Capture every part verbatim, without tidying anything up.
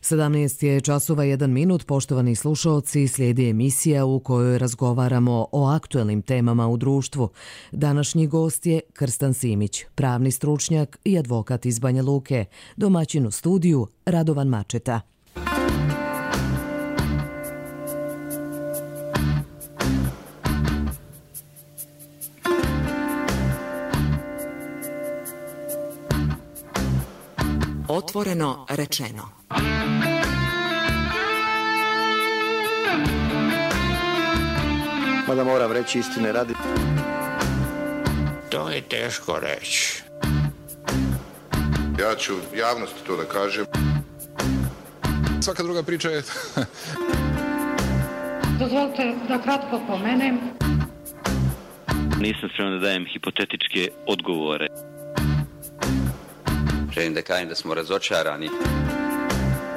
sedamnaest je časova jedan minut, poštovani slušaoci, slijedi emisija u kojoj razgovaramo o aktuelnim temama u društvu. Današnji gost je Krstan Simić, pravni stručnjak i advokat iz Banja Luke, domaćin u studiju Radovan Mačeta. Otvoreno rečeno. Mada moram reći istine radi. To je teško reći. Ja ću javnosti to da kažem. Svaka druga priča je... Dozvolite da kratko pomenem. Nisam spreman da dajem hipotetičke odgovore. Želim da kažem da smo razočarani.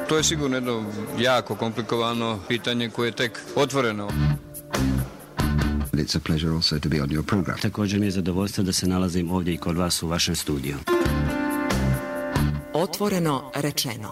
To je sigurno jedno jako komplikovano pitanje koje je tek otvoreno. It's a pleasure also to be on your program. Također mi je zadovoljstvo da se nalazim ovdje i kod vas u vašem studiju. Otvoreno rečeno.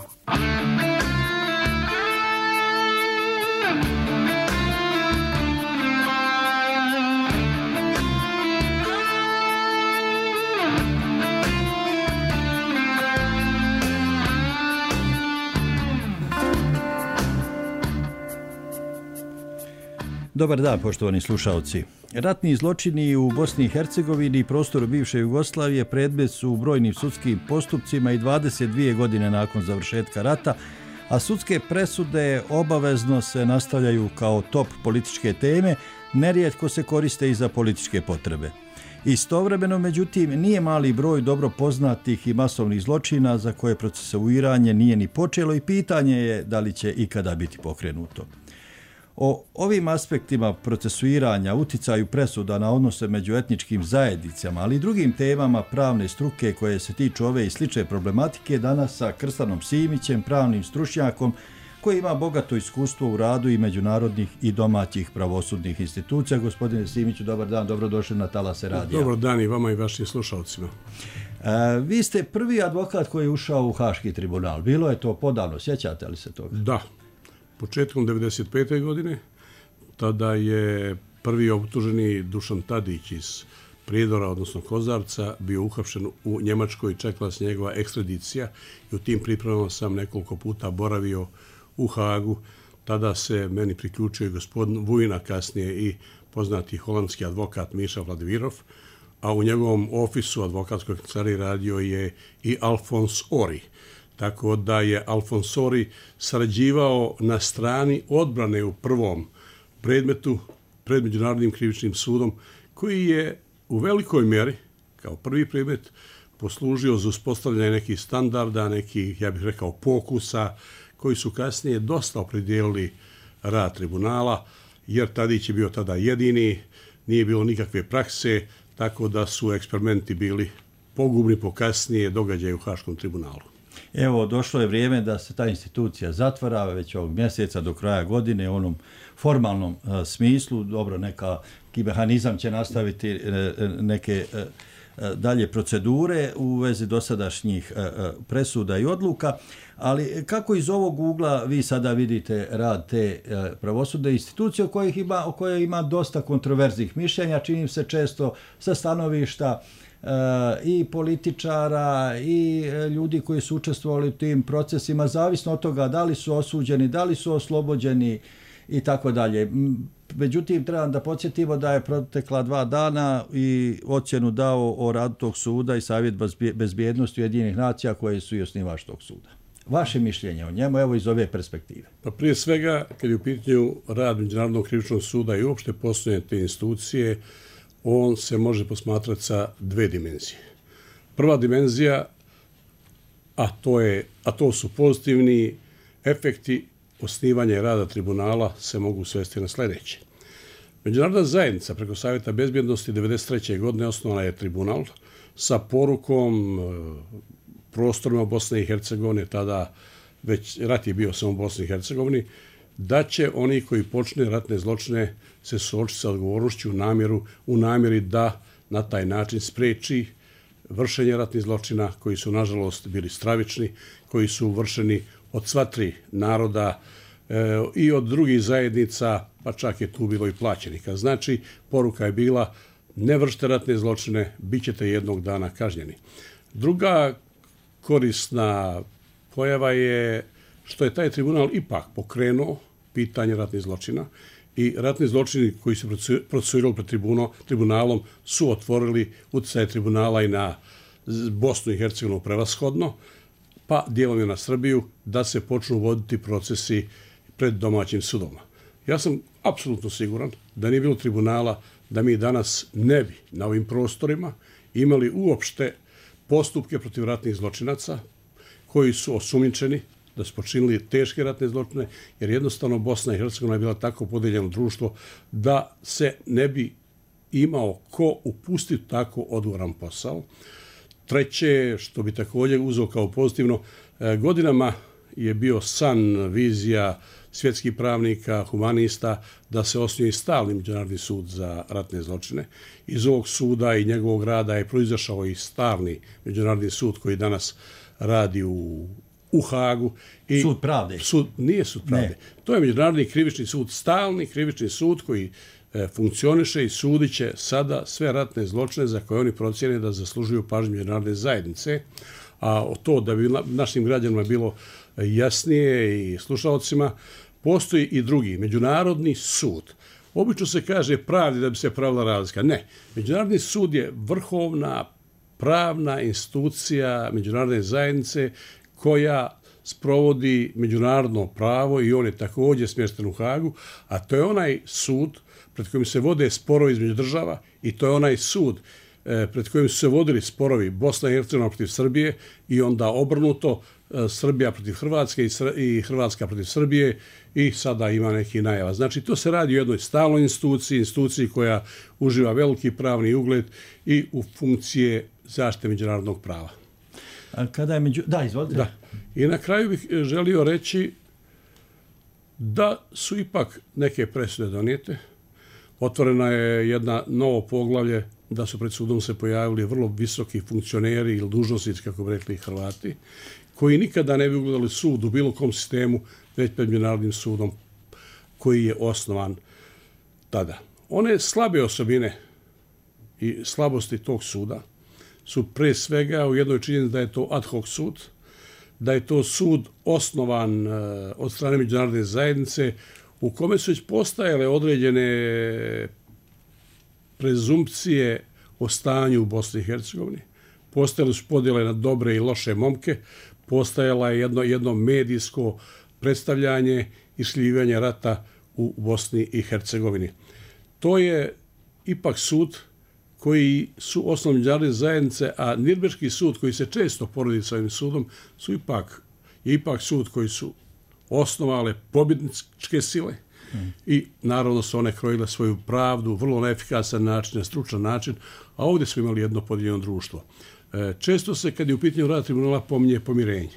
Dobar dan, poštovani slušaoci. Ratni zločini u Bosni i Hercegovini i prostoru bivše Jugoslavije predmet su u brojnim sudskim postupcima i dvadeset dvije godine nakon završetka rata, a sudske presude obavezno se nastavljaju kao top političke teme, nerijetko se koriste i za političke potrebe. Istovremeno, međutim, nije mali broj dobro poznatih i masovnih zločina za koje procesuiranje nije ni počelo i pitanje je da li će ikada biti pokrenuto. O ovim aspektima procesuiranja, uticaju presuda na odnose među etničkim zajednicama, ali i drugim temama pravne struke koje se tiču ove i slične problematike, danas sa Krstanom Simićem, pravnim stručnjakom koji ima bogato iskustvo u radu i međunarodnih i domaćih pravosudnih institucija. Gospodine Simiću, dobar dan, dobrodošli na Talase radija. Dobar dan i vama i vašim slušalcima. E, vi ste prvi advokat koji je ušao u Haški tribunal. Bilo je to podavno, sjećate li se toga? Da. Početkom devedeset pete godine, tada je prvi optuženi Dušan Tadić iz Prijedora, odnosno Kozarca, bio uhapšen u Njemačkoj i čekala se njegova ekstradicija i u tim pripremama sam nekoliko puta boravio u Hagu. Tada se meni priključio i gospodin Vujina, kasnije i poznati holandski advokat Miša Vladivirov, a u njegovom ofisu advokatskoj kancelariji radio je i Alfons Ori. Tako da je Alfons Ori sarađivao na strani odbrane u prvom predmetu pred Međunarodnim krivičnim sudom, koji je u velikoj mjeri, kao prvi predmet, poslužio za uspostavljanje nekih standarda, nekih, ja bih rekao, pokusa, koji su kasnije dosta opredijelili rad tribunala, jer Tadić je bio tada jedini, nije bilo nikakve prakse, tako da su eksperimenti bili pogubni po kasnije događaje u Haškom tribunalu. Evo, došlo je vrijeme da se ta institucija zatvara već ovog mjeseca do kraja godine u onom formalnom uh, smislu. Dobro, neka mehanizam će nastaviti uh, neke uh, dalje procedure u vezi dosadašnjih uh, presuda i odluka, ali kako iz ovog ugla vi sada vidite rad te uh, pravosudne institucije o kojih ima, o kojoj ima dosta kontroverznih mišljenja, čini se često sa stanovišta i političara i ljudi koji su učestvovali u tim procesima, zavisno od toga da li su osuđeni, da li su oslobođeni i tako dalje. Međutim, trebam da podsjetimo da je protekla dva dana i ocjenu dao o radu tog suda i Savjet bezbjednosti Ujedinjenih nacija koji su i osnivač tog suda. Vaše mišljenje o njemu, evo iz ove perspektive. Pa prije svega, kad je u pitanju rad Međunarodnog krivičnog suda i uopšte postojanje te institucije, on se može posmatrati sa dve dimenzije. Prva dimenzija, a to, je, a to su pozitivni efekti osnivanja rada tribunala, se mogu svesti na sljedeće. Međunarodna zajednica preko Savjeta bezbjednosti devedeset treće godine osnovana je tribunal sa porukom prostorima Bosne i Hercegovine, tada već rat je bio samo u Bosni i Hercegovini, da će oni koji počne ratne zločine se suočiti sa odgovornošću u, namjeru, u namjeri da na taj način spreči vršenje ratnih zločina koji su nažalost bili stravični, koji su vršeni od sva tri naroda e, i od drugih zajednica, pa čak je tu bilo i plaćenika. Znači, poruka je bila ne vršite ratne zločine, bit ćete jednog dana kažnjeni. Druga korisna pojava je što je taj tribunal ipak pokrenuo pitanje ratnih zločina i ratni zločini koji su procesuirali pred tribunalom su otvorili utjecaj tribunala i na Bosnu i Hercegovinu prevashodno, pa dijelom je na Srbiju, da se počnu voditi procesi pred domaćim sudovima. Ja sam apsolutno siguran da nije bilo tribunala, da mi danas ne bi na ovim prostorima imali uopšte postupke protiv ratnih zločinaca koji su osumnjičeni da su počinili teške ratne zločine, jer jednostavno Bosna i Hercegovina je bila tako podeljeno društvo da se ne bi imao ko upustiti tako odgovoran posao. Treće, što bi također uzeo kao pozitivno, godinama je bio san, vizija svjetskih pravnika, humanista, da se osnuje stalni međunarodni sud za ratne zločine. Iz ovog suda i njegovog rada je proizašao i stalni međunarodni sud koji danas radi u, u Hagu. I sud pravde? Sud, nije sud pravde. Ne. To je međunarodni krivični sud, stalni krivični sud koji e, funkcioniše i sudit će sada sve ratne zločine za koje oni procjene da zaslužuju pažnju međunarodne zajednice. A to da bi našim građanima bilo jasnije i slušalcima, postoji i drugi, međunarodni sud. Obično se kaže pravdi da bi se pravila razlika. Ne, međunarodni sud je vrhovna pravna institucija međunarodne zajednice koja sprovodi međunarodno pravo i on je također smješten u Hagu, a to je onaj sud pred kojim se vode sporovi između država i to je onaj sud pred kojim su se vodili sporovi Bosna i Hercegovina protiv Srbije i onda obrnuto Srbija protiv Hrvatske i Hrvatska protiv Srbije i sada ima neki najava. Znači, to se radi o jednoj stalnoj instituciji, instituciji koja uživa veliki pravni ugled i u funkcije zaštite međunarodnog prava. A kada je među... Da, izvolite. Da. I na kraju bih želio reći da su ipak neke presude donijete. Otvorena je jedna novo poglavlje da su pred sudom se pojavili vrlo visoki funkcioneri ili dužnosnici, kako bi rekli Hrvati, koji nikada ne bi ugledali sud u bilo kom sistemu, već pred međunarodnim sudom koji je osnovan tada. One slabe osobine i slabosti tog suda su pre svega u jednoj činjenici da je to ad hoc sud, da je to sud osnovan od strane međunarodne zajednice u kome su već postajale određene prezumpcije o stanju u Bosni i Hercegovini. Postojale su podjele na dobre i loše momke, postajala je jedno, jedno medijsko predstavljanje i šljivanje rata u Bosni i Hercegovini. To je ipak sud koji su osnovni međunarodne zajednice, a Nirnberški sud koji se često poredi sa ovim sudom su ipak, je ipak sud koji su osnovale pobjedničke sile hmm. i naravno su one krojile svoju pravdu vrlo neefikasan način, na stručan način, a ovdje smo imali jedno podijeljeno društvo. E, često se, kad je u pitanju rada tribunala, pominje pomirenje.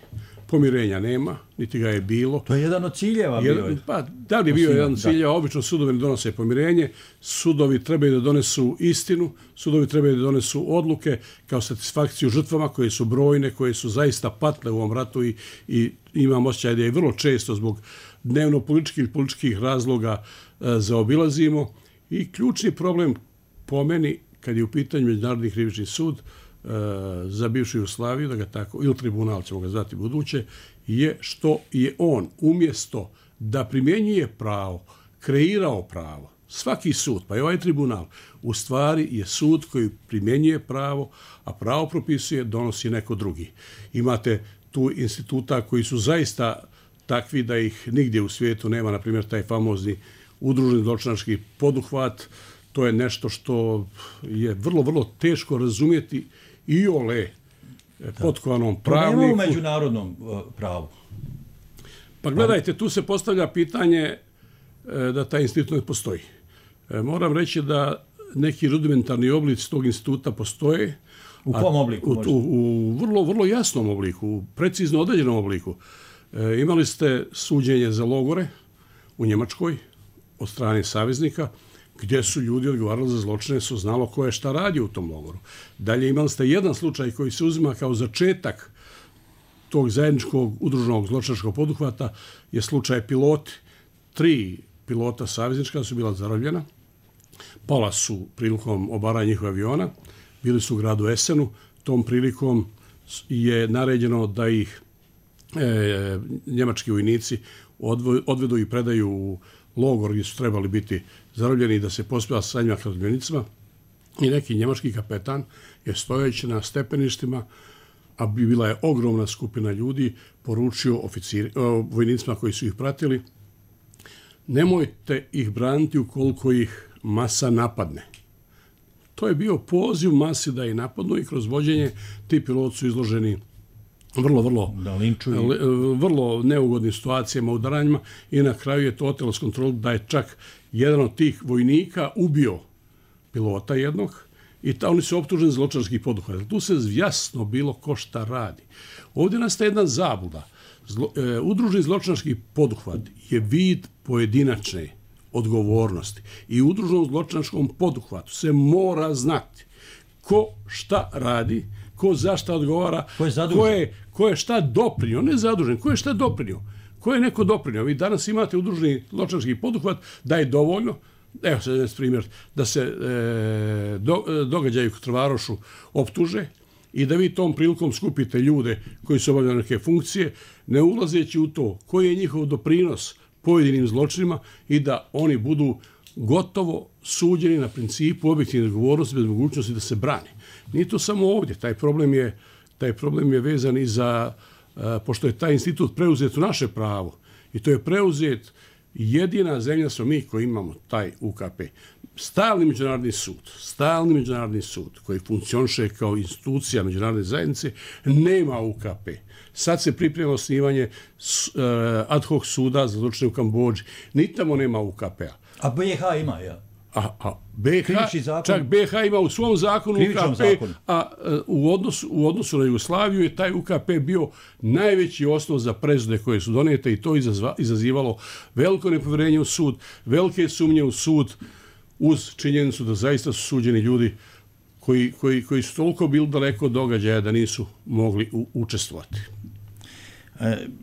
Pomirenja nema, niti ga je bilo. To je jedan od ciljeva bio. Jedan, pa, da li je bio jedan od ciljeva? Obično sudovi ne donose pomirenje, sudovi trebaju da donesu istinu, sudovi trebaju da donesu odluke kao satisfakciju žrtvama koje su brojne, koje su zaista patle u ovom ratu i, i imam osjećaj da je vrlo često zbog dnevno političkih ili političkih razloga e, zaobilazimo. I ključni problem po meni, kad je u pitanju Međunarodni krivični sud, za bivšu Jugoslaviju, da ga tako, ili tribunal ćemo ga zvati buduće, je što je on umjesto da primjenjuje pravo, kreirao pravo. Svaki sud, pa i ovaj tribunal, u stvari je sud koji primjenjuje pravo, a pravo propisuje, donosi neko drugi. Imate tu instituta koji su zaista takvi da ih nigdje u svijetu nema, na primjer taj famozni udruženi zločinački poduhvat. To je nešto što je vrlo, vrlo teško razumjeti i ole potkovanom pravniku. To nema u međunarodnom uh, pravu. Pa gledajte, tu se postavlja pitanje e, da taj institut ne postoji. E, moram reći da neki rudimentarni oblici tog instituta postoje. U kom obliku? U, u, u vrlo, vrlo jasnom obliku, u precizno određenom obliku. E, imali ste suđenje za logore u Njemačkoj od strane saveznika, gdje su ljudi odgovarali za zločine, su znalo ko je šta radio u tom logoru. Dalje imali ste jedan slučaj koji se uzima kao začetak tog zajedničkog udruženog zločinačkog poduhvata je slučaj piloti. Tri pilota saveznička su bila zarobljena, pala su prilikom obaranja njihova aviona, bili su u gradu Esenu, tom prilikom je naređeno da ih e, njemački vojnici odvo, odvedu i predaju u logor gdje su trebali biti zarobljeni i da se pospjeva sa njima razbojnicima. I neki njemački kapetan je stojeći na stepeništima, a bila je ogromna skupina ljudi, poručio oficiri, o, vojnicima koji su ih pratili: nemojte ih braniti ukoliko ih masa napadne. To je bio poziv masi da ih napadnu i kroz vođenje ti piloti su izloženi vrlo, vrlo, da linčuju. vrlo neugodnim situacijama, udaranjima i na kraju je to otelo s kontrolu da je čak jedan od tih vojnika ubio pilota jednog i ta, oni su optuženi zločinačkih poduhvata. Tu se jasno bilo ko šta radi. Ovdje nastaje jedna zabluda. Zlo, e, udruženi zločinački poduhvat je vid pojedinačne odgovornosti i u udruženom zločinačkom poduhvatu se mora znati ko šta radi, ko za šta odgovara, ko je, ko je, ko je šta doprinio, ne zadužen, ko je šta doprinio, ko je neko doprinio. Vi danas imate udruženi zločinački poduhvat da je dovoljno, evo se jedan primjer, da se e, do, događaju u Trvarošu optuže i da vi tom prilikom skupite ljude koji su obavljali neke funkcije, ne ulazeći u to koji je njihov doprinos pojedinim zločinima i da oni budu gotovo suđeni na principu objektivne odgovornosti bez mogućnosti da se brani. Nije to samo ovdje, taj problem je, taj problem je vezan i za, uh, pošto je taj institut preuzet u naše pravo i to je preuzet jedina zemlja smo mi koji imamo taj U K P. Stalni međunarodni sud, stalni međunarodni sud koji funkcioniše kao institucija međunarodne zajednice nema U K P. Sad se priprema osnivanje uh, ad hoc suda za zločine u Kambodži. Ni tamo nema U K P-a. A B i H ima, ja. A, a B H, čak B H ima u svom zakonu U K P, zakonu. a u odnosu, u odnosu na Jugoslaviju je taj U K P bio najveći osnov za presude koje su donijete i to izazva, izazivalo veliko nepovjerenje u sud, velike sumnje u sud, uz činjenicu da zaista su suđeni ljudi koji, koji, koji su toliko bili daleko od događaja da nisu mogli u, učestvovati.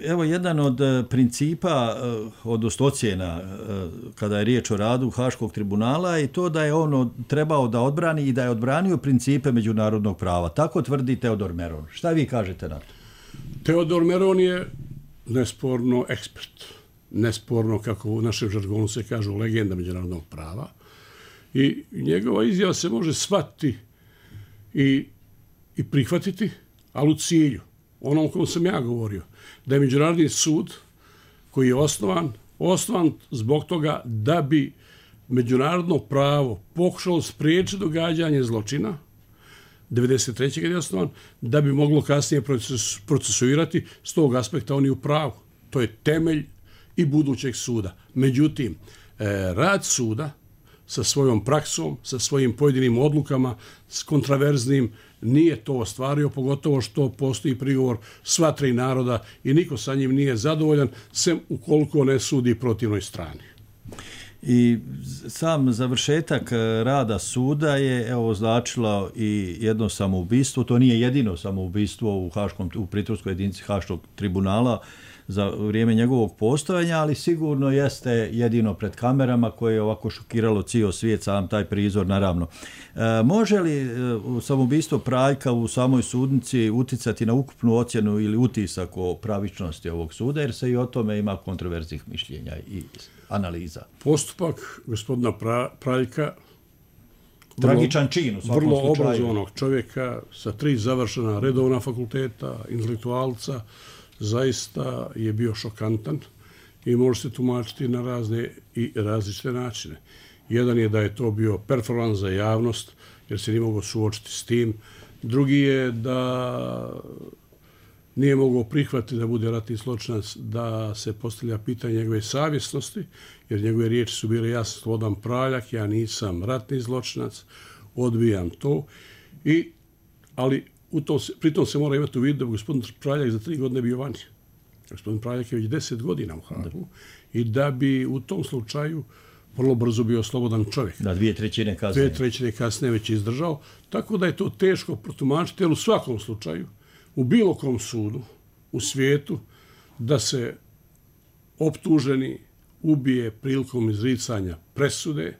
Evo, jedan od principa, odnosno ocjena kada je riječ o radu Haškog tribunala i to da je ono trebao da odbrani i da je odbranio principe međunarodnog prava. Tako tvrdi Teodor Meron. Šta vi kažete na to? Teodor Meron je nesporno ekspert. Nesporno, kako u našem žargonu se kažu, legenda međunarodnog prava. I njegova izjava se može shvatiti i, i prihvatiti, ali u cilju. Onom o kom sam ja govorio, da je Međunarodni sud koji je osnovan, osnovan zbog toga da bi međunarodno pravo pokušalo spriječiti događanje zločina, devedeset treće kad je osnovan, da bi moglo kasnije proces, procesuirati, s tog aspekta oni u pravu. To je temelj i budućeg suda. Međutim, rad suda sa svojom praksom, sa svojim pojedinim odlukama, s kontraverznim, nije to ostvario, pogotovo što postoji prigovor sva tri naroda i niko sa njim nije zadovoljan, sem ukoliko ne sudi protivnoj strani. I sam završetak rada suda je evo označilo i jedno samoubistvo. To nije jedino samoubistvo u, Haškom, u pritvorskoj jedinici Haškog tribunala za vrijeme njegovog postojanja, ali sigurno jeste jedino pred kamerama koje je ovako šokiralo cijel svijet, sam taj prizor naravno. E, može li e, samoubistvo Praljka u samoj sudnici uticati na ukupnu ocjenu ili utisak o pravičnosti ovog suda, jer se i o tome ima kontroverznih mišljenja i analiza? Postupak gospodina pra, Praljka, tragičan čin u svakom vrlo slučaju. Vrlo obrazovanog čovjeka sa tri završena redovna fakulteta, intelektualca, zaista je bio šokantan i može se tumačiti na razne i različite načine. Jedan je da je to bio performans za javnost, jer se nije mogao suočiti s tim. Drugi je da nije mogao prihvatiti da bude ratni zločinac, da se postavlja pitanje njegove savjesnosti, jer njegove riječi su bile: ja sam Slobodan Praljak, ja nisam ratni zločinac, odbijam to. I, ali u tom, pritom se mora imati u vidu da gospodin Praljak za tri godine bio vani. Gospodin Praljak je već deset godina u Hagu i da bi u tom slučaju vrlo brzo bio slobodan čovjek. Da, dvije trećine kasnije. Dvije trećine kasnije već izdržao. Tako da je to teško protumačiti, jer u svakom slučaju, u bilo kom sudu, u svijetu da se optuženi ubije prilikom izricanja presude.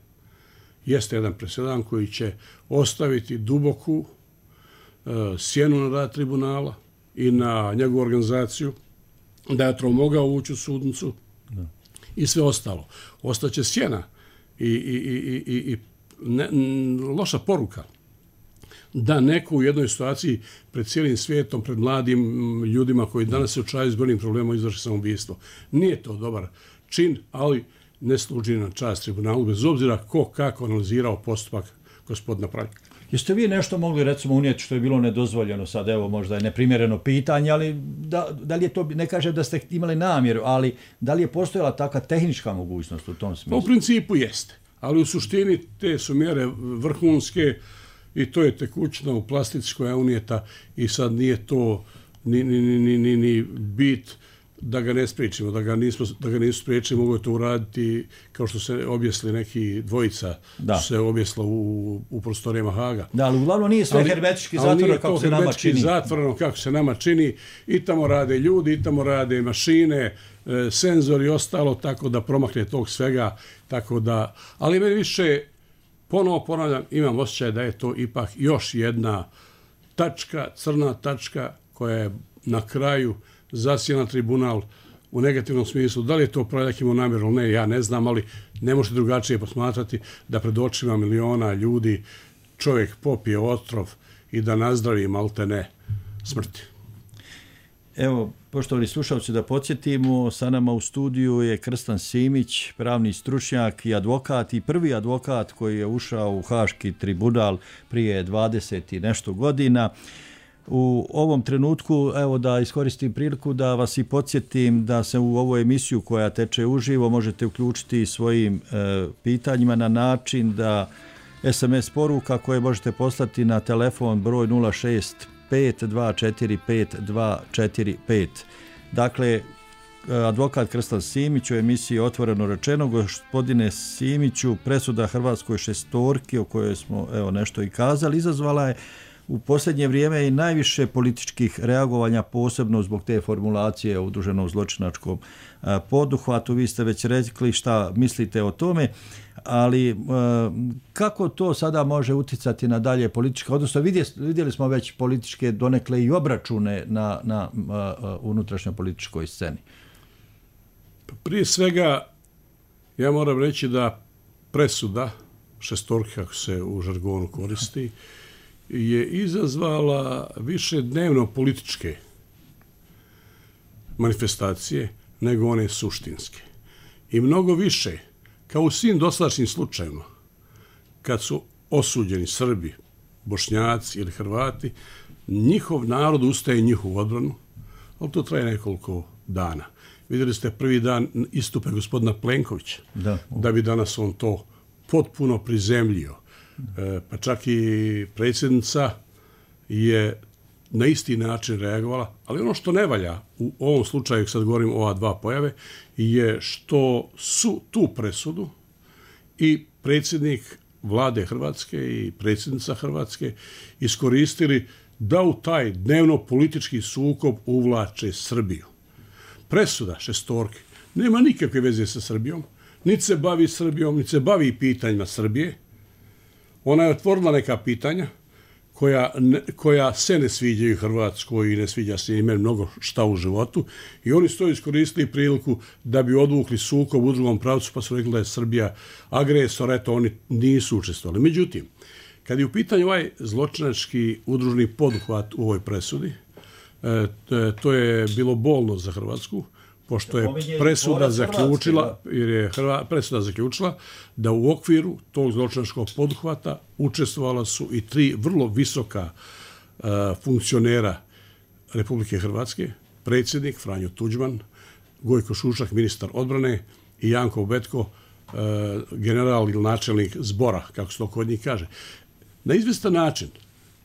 Jeste jedan presedan koji će ostaviti duboku uh, sjenu na rad tribunala i na njegovu organizaciju, da je to mogao ući u sudnicu da. I sve ostalo. Ostaće sjena i, i, i, i, i ne, loša poruka da neko u jednoj situaciji pred cijelim svijetom, pred mladim ljudima koji danas se učaju s brojnim problemima izvrši samoubistvo. Nije to dobar čin, ali ne služi na čast tribunalu, bez obzira ko kako analizirao postupak gospodina Praljka. Jeste vi nešto mogli recimo unijeti što je bilo nedozvoljeno sad, evo možda je neprimjereno pitanje, ali da, da li je to, ne kažem da ste imali namjeru, ali da li je postojala takva tehnička mogućnost u tom smislu? Pa u principu jeste, ali u suštini te su mjere vrhunske i to je tekućina u plastici koja je unijeta i sad nije to ni, ni, ni, ni, ni bit da ga ne spriječimo, da ga nismo, da ga nisu spriječili, mogu to uraditi kao što se objesli neki dvojica, da. Se objesla u, u prostorijama Haga. Da, ali uglavnom nije sve hermetički zatvoreno kako se nama čini. zatvoreno kako se nama čini, i tamo rade ljudi, i tamo rade mašine, e, senzori i ostalo, tako da promakne tog svega, tako da, ali meni više, ponovo ponavljam, imam osjećaj da je to ipak još jedna tačka, crna tačka koja je na kraju zasijena tribunal u negativnom smislu. Da li je to Praljak imao namjeru ili ne, ja ne znam, ali ne možete drugačije posmatrati da pred očima miliona ljudi čovjek popije otrov i da nazdravi malte ne smrti. Evo, poštovani slušalci, da podsjetimo, sa nama u studiju je Krstan Simić, pravni stručnjak i advokat i prvi advokat koji je ušao u Haški tribunal prije dvadeset i nešto godina. U ovom trenutku, evo da iskoristim priliku da vas i podsjetim da se u ovu emisiju koja teče uživo možete uključiti svojim e, pitanjima na način da es em es poruka koje možete poslati na telefon broj nula šest pet dva četiri pet dva četiri pet. Dakle, advokat Krstan Simić u emisiji Otvoreno rečeno. Gospodine Simiću, presuda Hrvatskoj šestorki o kojoj smo evo nešto i kazali izazvala je u posljednje vrijeme i najviše političkih reagovanja, posebno zbog te formulacije o udruženom zločinačkom poduhvatu. Vi ste već rekli šta mislite o tome, ali kako to sada može utjecati na dalje političke, odnosno vidjeli smo već političke donekle i obračune na, na unutrašnjoj političkoj sceni? Prije svega, ja moram reći da presuda šestorke, kako se u žargonu koristi, je izazvala više dnevno političke manifestacije nego one suštinske. I mnogo više, kao u svim dosadašnjim slučajima, kad su osuđeni Srbi, Bošnjaci ili Hrvati, njihov narod ustaje njihovu odbranu, ali to traje nekoliko dana. Vidjeli ste prvi dan istupe gospodina Plenkovića, da, da bi danas on to potpuno prizemljio. E, pa čak i predsjednica je na isti način reagovala, ali ono što ne valja u ovom slučaju, sad govorim o ova dva pojave, je što su tu presudu i predsjednik vlade Hrvatske i predsjednica Hrvatske iskoristili da u taj dnevno politički sukob uvlače Srbiju. Presuda šestorke nema nikakve veze sa Srbijom, niti se bavi Srbijom, niti se bavi pitanjima Srbije. Ona je otvorila neka pitanja koja, ne, koja se ne sviđaju Hrvatskoj i ne sviđa se ime mnogo šta u životu, i oni su to iskoristili priliku da bi odvukli sukob u drugom pravcu, pa su rekli da je Srbija agresor, eto oni nisu učestvovali. Međutim, kad je u pitanju ovaj zločinački udruženi poduhvat u ovoj presudi, e, to je bilo bolno za Hrvatsku, pošto je presuda zaključila, jer je Hrva, presuda zaključila da u okviru tog zločinačkog poduhvata učestvovala su i tri vrlo visoka uh, funkcionera Republike Hrvatske, predsjednik Franjo Tuđman, Gojko Šušak, ministar odbrane, i Janko Betko, uh, general ili načelnik zbora, kako se to kod njih kaže. Na izvestan način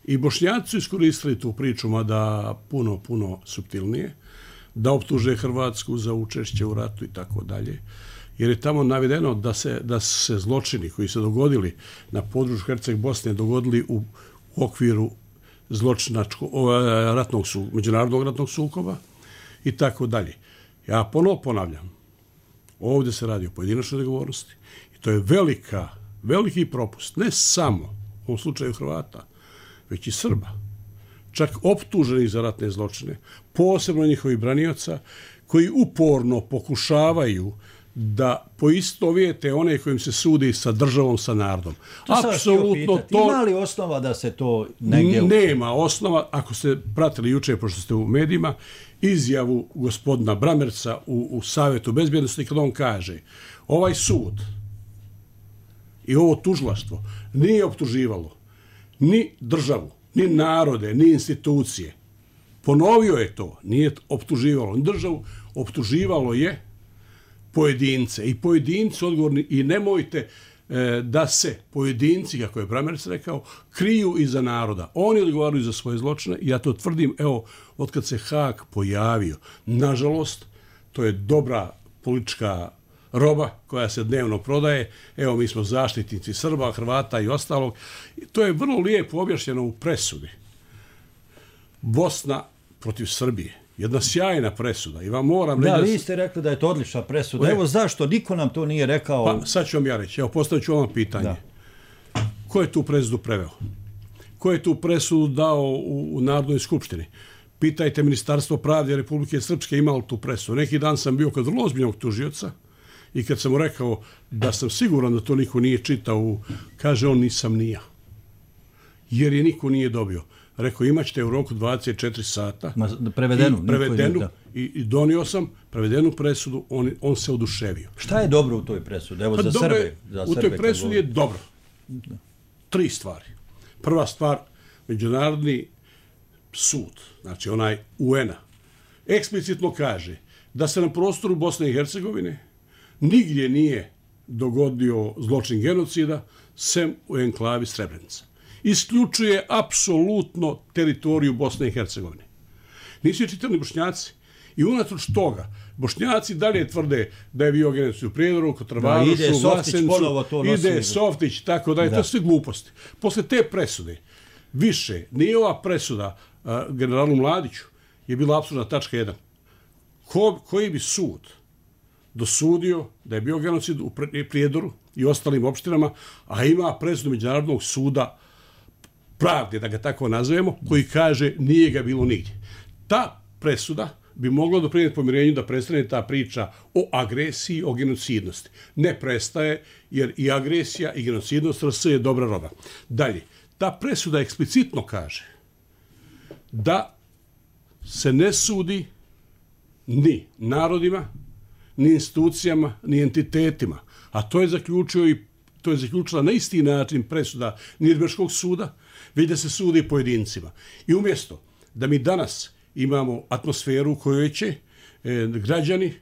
i Bošnjaci su iskoristili tu priču, mada puno, puno suptilnije, da optuže Hrvatsku za učešće u ratu i tako dalje. Jer je tamo navedeno da se, da se zločini koji se dogodili na području Herceg Bosne dogodili u, u okviru zločinačkog ratnog su, međunarodnog ratnog sukoba, i tako dalje. Ja ponovo ponavljam, ovdje se radi o pojedinačnoj odgovornosti i to je velika, veliki propust, ne samo u ovom slučaju Hrvata, već i Srba, čak optuženih za ratne zločine, posebno njihovih branioca, koji uporno pokušavaju da poistovijete one kojim se sudi sa državom, sa narodom. Apsolutno to... Ima li osnova da se to negdje... Nema osnova, ako ste pratili juče, pošto ste u medijima, izjavu gospodina Bramerca u, u Savjetu bezbjednosti, kada on kaže, ovaj sud i ovo tužilaštvo nije optuživalo ni državu, ni narode, ni institucije. Ponovio je to, nije optuživalo ni državu, optuživalo je pojedince. I pojedinci odgovorni, i nemojte e, da se pojedinci, kako je Bramerc rekao, kriju iza naroda. Oni odgovaraju za svoje zločine i ja to tvrdim, evo, otkad se Haag pojavio. Nažalost, to je dobra politička roba koja se dnevno prodaje. Evo, mi smo zaštitnici Srba, Hrvata i ostalog. To je vrlo lijepo objašnjeno u presudi. Bosna protiv Srbije. Jedna sjajna presuda. I vam moram da, reći... vi ste rekli da je to odlična presuda. Ne. Evo zašto? Niko nam to nije rekao. Pa, sad ću vam ja reći. Evo, postavit ću vam pitanje. Da. Ko je tu presudu preveo? Ko je tu presudu dao u, u Narodnoj skupštini? Pitajte Ministarstvo pravde Republike Srpske imalo tu presudu. Neki dan sam bio kod vrlo ozbiljnog tužioca i kad sam mu rekao da sam siguran da to niko nije čitao, kaže on nisam ni ja. Jer je niko nije dobio. Rekao, imat ćete u roku dvadeset četiri sata. Ma, prevedenu. I, prevedenu i, i donio sam prevedenu presudu, on, on se oduševio. Šta je dobro u toj presudi? Evo, pa za dobre, Srbe. Za u Srbe toj presudi je dobro. Tri stvari. Prva stvar, Međunarodni sud, znači onaj U N-a, eksplicitno kaže da se na prostoru Bosne i Hercegovine nigdje nije dogodio zločin genocida, sem u enklavi Srebrenica. Isključuje apsolutno teritoriju Bosne i Hercegovine. Nisu je čitali Bošnjaci. I unatoč toga, Bošnjaci dalje tvrde da je bio genocid u Prijedoru, kod Travanošu, Vlasencu, ide Softić, tako da je to sve gluposti. Posle te presude, više, nije ova presuda uh, generalu Mladiću, je bila apsolutna tačka jedan. Ko, koji bi sud dosudio da je bio genocid u Prijedoru i ostalim opštinama, a ima presudu Međunarodnog suda pravde, da ga tako nazovemo, koji kaže nije ga bilo nigdje. Ta presuda bi mogla doprinijeti pomirenju da prestane ta priča o agresiji, o genocidnosti. Ne prestaje, jer i agresija i genocidnost R S je dobra roba. Dalje, ta presuda eksplicitno kaže da se ne sudi ni narodima, ni institucijama, ni entitetima. A to je zaključio i to je zaključila na isti način presuda Nirnberškog suda, već da se sudi pojedincima. I umjesto da mi danas imamo atmosferu u kojoj će e, građani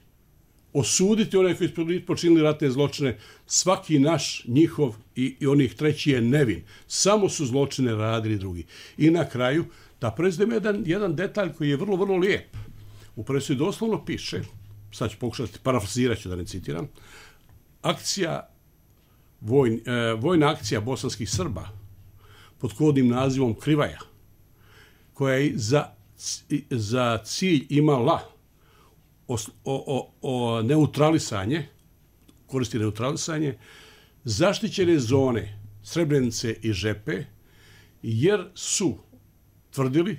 osuditi one koji su počinili ratne zločine, svaki naš, njihov i, i onih treći je nevin. Samo su zločine radili drugi. I na kraju, da prezdem jedan, jedan detalj koji je vrlo, vrlo lijep. U presudi doslovno piše, sad ću pokušati, parafrazirat ću da ne citiram, akcija, vojn, e, vojna akcija bosanskih Srba pod kodnim nazivom Krivaja, koja je za, za cilj imala o, o, o neutralisanje, koristi neutralisanje, zaštićene zone Srebrenice i Žepe, jer su tvrdili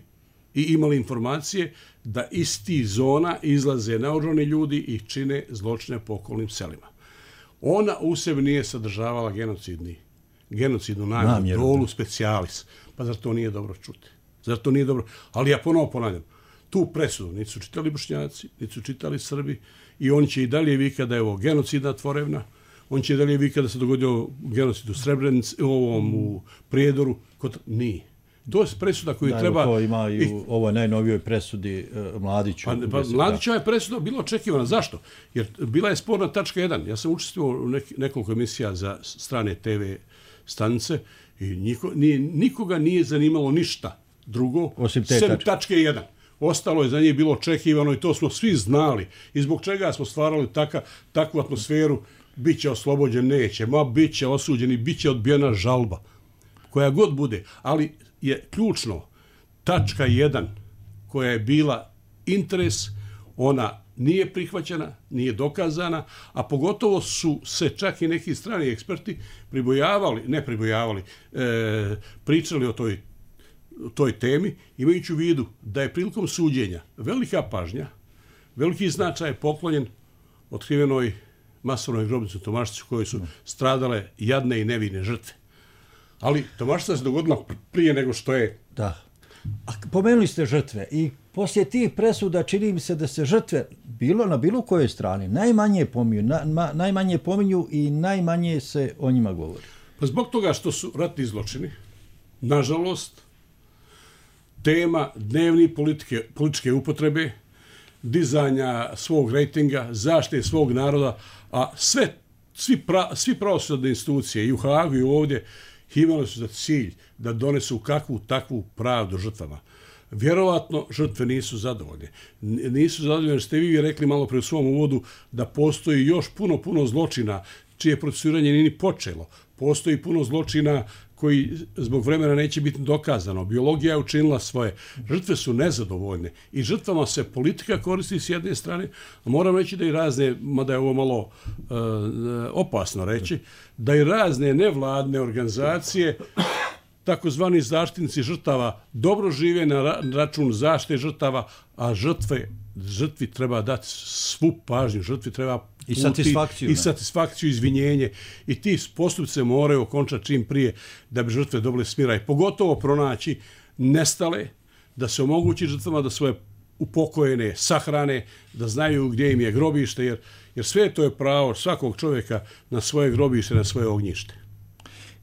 i imali informacije da iz tih zona izlaze naoružani ljudi i čine zločine po okolnim selima. Ona u sebi nije sadržavala genocidni, genocidnu namjeru, dolu specialis. Pa zar to nije dobro čuti? Zar to nije dobro? Ali ja ponovo ponavljam, tu presudu niti su čitali Bošnjaci, niti su čitali Srbi i oni će i dalje vikati da je ovo genocidna tvorevna, on će i dalje vikati da se dogodio genocid u Srebrenici, ovom u Prijedoru, kod nije. To je presuda koju da, treba... To ima i u ovoj najnovijoj presudi uh, Mladiću. Pa, pa Mladićeva je presuda bila očekivana. Zašto? Jer bila je sporna tačka jedan. Ja sam učestvovao u nek, nekoliko emisija za strane te ve stanice i niko, nije, nikoga nije zanimalo ništa drugo, osim te sem tačke. tačke jedan. Ostalo je za njih bilo očekivano i to smo svi znali. I zbog čega smo stvarali taka, takvu atmosferu, bit će oslobođen, neće, ma bit će osuđen i bit će odbijena žalba. Koja god bude. Ali je ključno tačka jedan koja je bila interes, Ona nije prihvaćena, nije dokazana, a pogotovo su se čak i neki strani eksperti pribojavali, ne pribojavali, e, pričali o toj, toj temi, imajući u vidu da je prilikom suđenja velika pažnja, veliki značaj je poklonjen otkrivenoj masovnoj grobnici u Tomašcu koje su stradale jadne i nevine žrtve. Ali Tomašca se dogodila prije nego što je... Da. A pomenuli ste žrtve i poslije tih presuda čini mi se da se žrtve bilo na bilo kojoj strani najmanje pominju, na, ma, najmanje pominju i najmanje se o njima govori. Pa zbog toga što su ratni zločini, nažalost, tema dnevni politike, političke upotrebe, dizanja svog rejtinga, zaštite svog naroda, a sve, svi, pra, svi pravosudne institucije i u Hagu i ovdje imali su za cilj da donesu kakvu takvu pravdu žrtvama. Vjerovatno žrtve nisu zadovoljne. Nisu zadovoljne jer ste vi rekli malo pre u svom uvodu da postoji još puno, puno zločina čije procesuiranje nije ni počelo. Postoji puno zločina koji zbog vremena neće biti dokazano. Biologija je učinila svoje. Žrtve su nezadovoljne i žrtvama se politika koristi s jedne strane, a moram reći da i razne, mada je ovo malo uh, opasno reći, da i razne nevladne organizacije, takozvani zaštitnici žrtava, dobro žive na račun zaštite žrtava, a žrtve, žrtvi treba dati svu pažnju, žrtvi treba i satisfakciju, i satisfakciju, izvinjenje i ti postupci se moraju okončati čim prije da bi žrtve dobile smiraj. Pogotovo pronaći nestale, da se omogući žrtvama da svoje upokojene sahrane, da znaju gdje im je grobište, jer, jer sve to je pravo svakog čovjeka na svoje grobište, na svoje ognjište.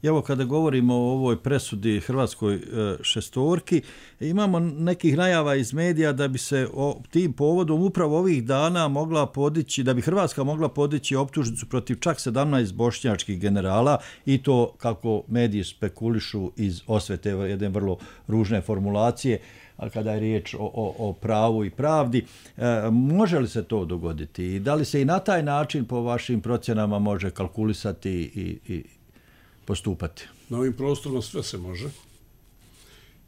Evo kada govorimo o ovoj presudi hrvatskoj šestorki, imamo nekih najava iz medija da bi se o tim povodom upravo ovih dana mogla podići, da bi Hrvatska mogla podići optužnicu protiv čak sedamnaest bošnjačkih generala i to kako mediji spekulišu iz osvete jedne vrlo ružne formulacije, a kada je riječ o, o, o pravu i pravdi. E, može li se to dogoditi i da li se i na taj način po vašim procjenama može kalkulisati i, i postupati? Na ovim prostorima sve se može.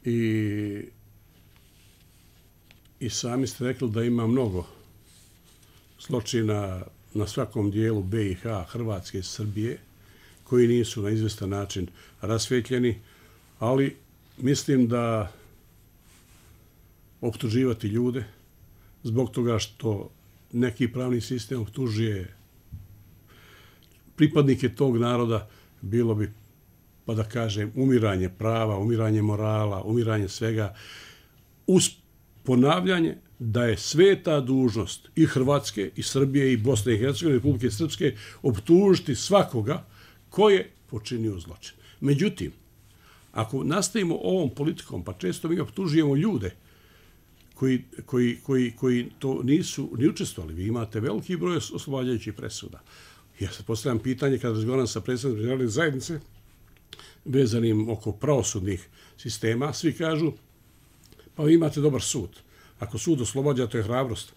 I, i sami ste rekli da ima mnogo zločina na svakom dijelu B i H, Hrvatske i Srbije, koji nisu na izvestan način rasvjetljeni, ali mislim da optuživati ljude zbog toga što neki pravni sistem optužuje pripadnike tog naroda, bilo bi, pa da kažem, umiranje prava, umiranje morala, umiranje svega, uz ponavljanje da je sveta dužnost i Hrvatske, i Srbije, i Bosne i Hercegovine, Republike Srpske, optužiti svakoga ko je počinio zločin. Međutim, ako nastavimo ovom politikom, pa često mi optužujemo ljude koji, koji, koji, koji to nisu ni učestvovali, vi imate veliki broj oslobađajućih presuda. Ja se postavljam pitanje kada razgovaram sa predstavnicima međunarodne zajednice vezanim oko pravosudnih sistema, svi kažu pa vi imate dobar sud. Ako sud oslobađa, to je hrabrost.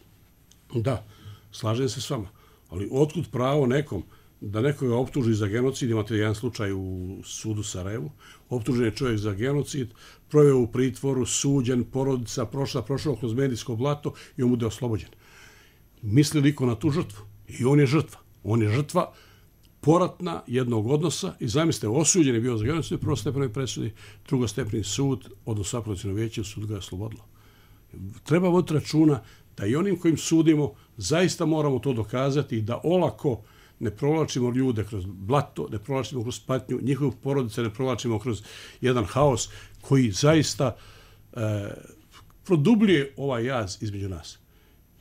Da, slažem se s vama. Ali otkud pravo nekom da nekoga optuži za genocid? Imate jedan slučaj u sudu Sarajevu. Optužen je čovjek za genocid, proveo u pritvoru, suđen, porodica, prošla, prošao kroz medijsko blato i on bude oslobođen. Misli li ko na tu žrtvu? I on je žrtva. On je žrtva poratna jednog odnosa i zamislite, osuđen je bio za genocid, prvostepenoj presudi, drugostepeni sud, odnosno apelaciono vijeće, sud ga je oslobodilo. Treba voditi računa da i onim kojim sudimo zaista moramo to dokazati i da olako ne provlačimo ljude kroz blato, ne provlačimo kroz patnju, njihovu porodice ne provlačimo kroz jedan haos koji zaista e, produbljuje ovaj jaz između nas.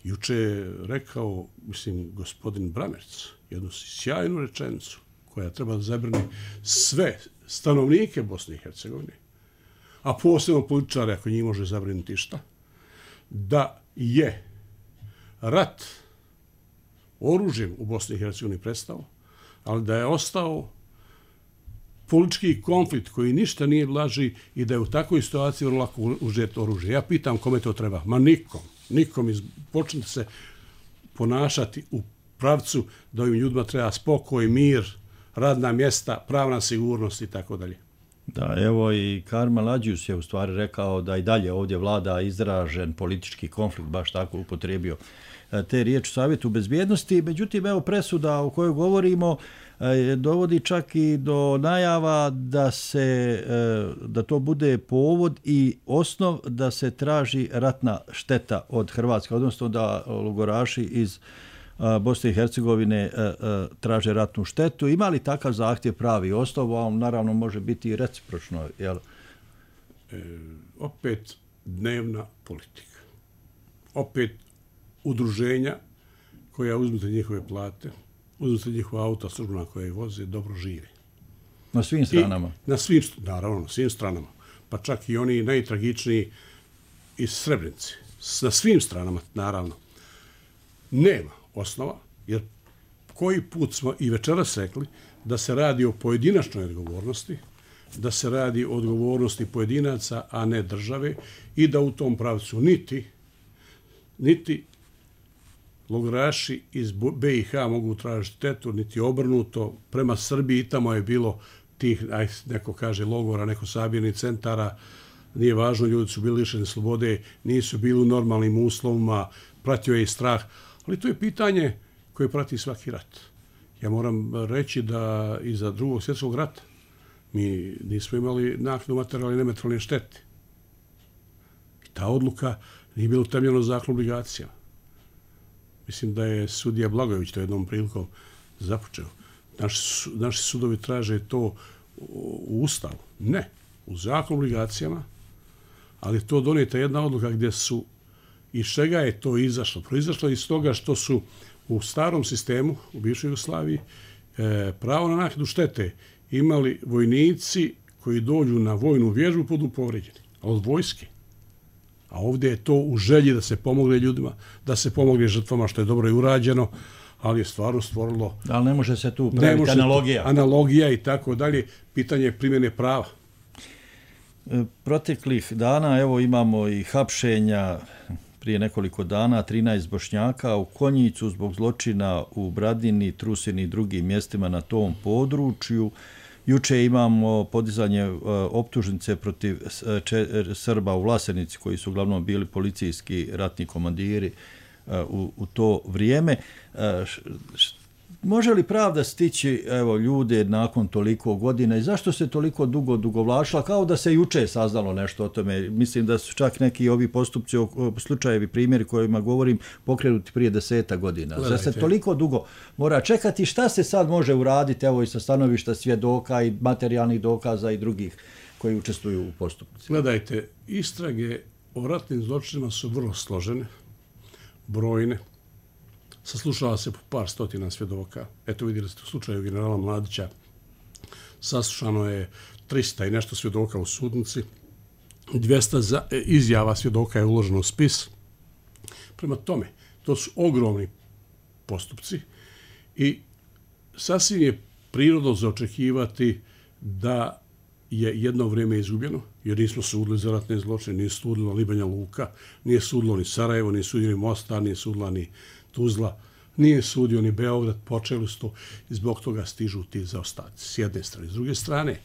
Juče je rekao, mislim, gospodin Bramerc, jednu sjajnu rečenicu koja treba da zabrani sve stanovnike Bosne i Hercegovine, a posebno političare, ako njih može zabrinuti šta, da je rat oružjem u Bosni i Hercegovini prestao, ali da je ostao politički konflikt koji ništa nije blaži i da je u takvoj situaciji vrlo lako uzeti oružje. Ja pitam kome to treba? Ma nikom. Nikom. Počnite se ponašati u pravcu da ovim ljudima treba spokoj, mir, radna mjesta, pravna sigurnost i tako dalje. Da, evo i Karmel Adžius je u stvari rekao da i dalje ovdje vlada izražen politički konflikt, baš tako upotrijebio te riječi u Savjetu bezbjednosti. Međutim, evo presuda o kojoj govorimo dovodi čak i do najava da se da to bude povod i osnov da se traži ratna šteta od Hrvatske, odnosno da logoraši iz Bosne i Hercegovine traže ratnu štetu. Ima li takav zahtjev pravi osnov? On naravno može biti i recipročno. Jel? E, opet dnevna politika. Opet udruženja koja uzmete njihove plate, uzmete njihova auta službena koja ih voze, dobro žive. Na svim stranama? I na svim, naravno, na svim stranama. Pa čak i oni najtragičniji iz Srebrenice. Na svim stranama, naravno. Nema osnova, jer koji put smo i večeras rekli da se radi o pojedinačnoj odgovornosti, da se radi o odgovornosti pojedinaca, a ne države, i da u tom pravcu niti, niti logoraši iz be i ha mogu tražiti štetu, niti obrnuto. Prema Srbiji tamo je bilo tih, aj, neko kaže logora, neko sabirnih centara, nije važno, ljudi su bili lišeni slobode, nisu bili u normalnim uslovima, pratio je i strah, ali to je pitanje koje prati svaki rat. Ja moram reći da iza drugog svjetskog rata mi nismo imali naknadu materijalne i nematerijalne štete. I ta odluka nije bila utemeljena Zakon o obligacijama. Mislim da je sudija Blagojević to jednom prilikom započeo. Naši, naši sudovi traže to u Ustavu. Ne, u Zakon o obligacijama, ali to donijeta jedna odluka gdje su, iz čega je to izašlo? Proizašlo iz toga što su u starom sistemu, u bivšoj Jugoslaviji, e, pravo na naknadu štete imali vojnici koji dođu na vojnu vježbu budu povređeni, od vojske. A ovdje je to u želji da se pomogne ljudima, da se pomogne žrtvama, što je dobro i urađeno, ali je stvarno stvorilo... Ali ne može se tu praviti analogija. Analogija i tako dalje, pitanje primjene prava. Proteklih dana, evo imamo i hapšenja prije nekoliko dana, trinaest Bošnjaka u Konjicu zbog zločina u Bradini, Trusini i drugim mjestima na tom području. Juče imamo podizanje optužnice protiv Srba u Vlasenici, koji su uglavnom bili policijski ratni komandiri u, u to vrijeme. Može li pravda stići, evo, ljude nakon toliko godina i zašto se toliko dugo dugovlačila, kao da se juče saznalo nešto o tome? Mislim da su čak neki ovi postupci, slučajevi, primjeri kojima govorim, pokrenuti prije deseta godina. Gledajte. Za se toliko dugo mora čekati, šta se sad može uraditi, evo, i sa stanovišta svjedoka i materijalnih dokaza i drugih koji učestvuju u postupci? Gledajte, istrage o ratnim zločinima su vrlo složene, brojne. Saslušava se po par stotina svjedoka. Eto, vidjeli ste u slučaju generala Mladića, saslušano je trista i nešto svjedoka u sudnici, dvjesto za, izjava svjedoka je uloženo u spis. Prema tome, to su ogromni postupci i sasvim je prirodno za očekivati da je jedno vrijeme izgubljeno, jer nismo sudili za ratne zločine, nije sudilo ni Banja Luka, nije sudilo ni Sarajevo, nije sudilo ni Mostar, nije sudila ni Tuzla, nije sudio ni Beograd, počeli su to i zbog toga stižu ti zaostaci s jedne strane. S druge strane,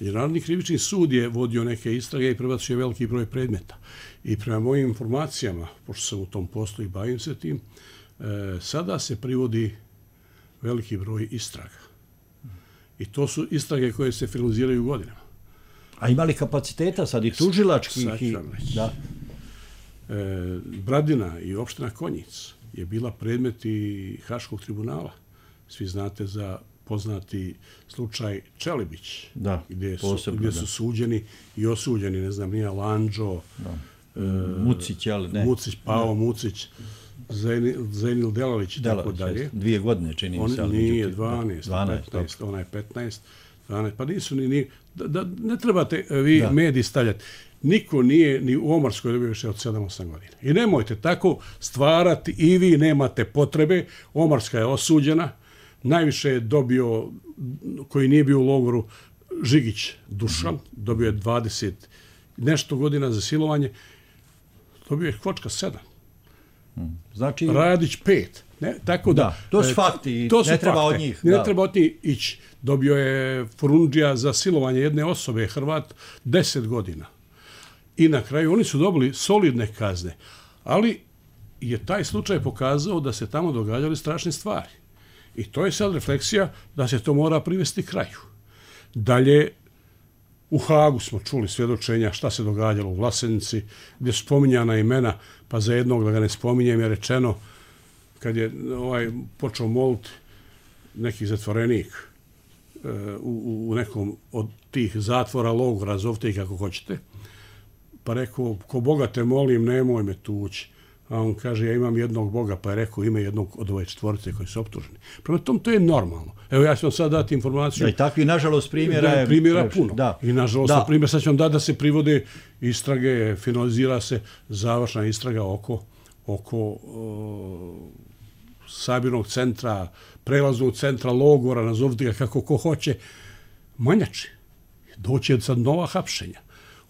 Međunarodni krivični sud je vodio neke istrage i prebacio veliki broj predmeta. I prema mojim informacijama, pošto sam u tom poslu i bavim se tim, e, sada se privodi veliki broj istraga. I to su istrage koje se finaliziraju godinama. A ima li kapaciteta sad i tužilačkih? Sad ću vam reći. Da. E, Bradina i opština Konjic je bila predmet i Haškog tribunala. Svi znate za poznati slučaj Čelibić, da, gdje, su, posebno, gdje su suđeni i osuđeni, ne znam, nije Lanđo, e, Mucić, ali ne. Mucić, Pavo da. Mucić, Zenil, Zenil Delalić i tako dalje. Dvije godine čini mi se. On nije dvanaest, petnaest, onaj petnaest, dvanaest, pa nisu ni, ni da, da, ne trebate vi da. mediji stavljati. Niko nije ni u Omarskoj dobio više od sedam osam godina. I nemojte tako stvarati, i vi nemate potrebe. Omarska je osuđena, najviše je dobio, koji nije bio u logoru, Žigić Dušan, mm-hmm. dobio je dvadeset nešto godina za silovanje, dobio je Kvočka sedam. Mm. Znači... Radić pet. Ne, tako da, da, to su fakti, to su ne treba fakte. od njih. Ne da. treba od njih ići. Dobio je Forundžija za silovanje jedne osobe, Hrvat, deset godina. I na kraju oni su dobili solidne kazne. Ali je taj slučaj pokazao da se tamo događali strašne stvari. I to je sad refleksija da se to mora privesti kraju. Dalje, u Hagu smo čuli svjedočenja šta se događalo u Vlasenici, gdje su spominjana imena, pa za jednog, da ga ne spominjem, je rečeno, kad je ovaj počeo moliti neki zatvorenik e, u, u nekom od tih zatvora, logora, zovite ih kako hoćete, pa rekao, ko Boga te molim, nemoj me tući. A on kaže, ja imam jednog Boga, pa je rekao ime jednog od ove četvorice koji su optuženi. Prema tom, to je normalno. Evo, ja ću vam sad dati informaciju. Da, i takvi, nažalost, primjera je... Primjera puno. Da. I, nažalost, da. primjer, sad ću vam dati da se privode istrage, finalizira se završna istraga oko, oko o, sabirnog centra, prelaznog centra, logora, nazovite ga kako ko hoće, manjači. Doće sad nova hapšenja.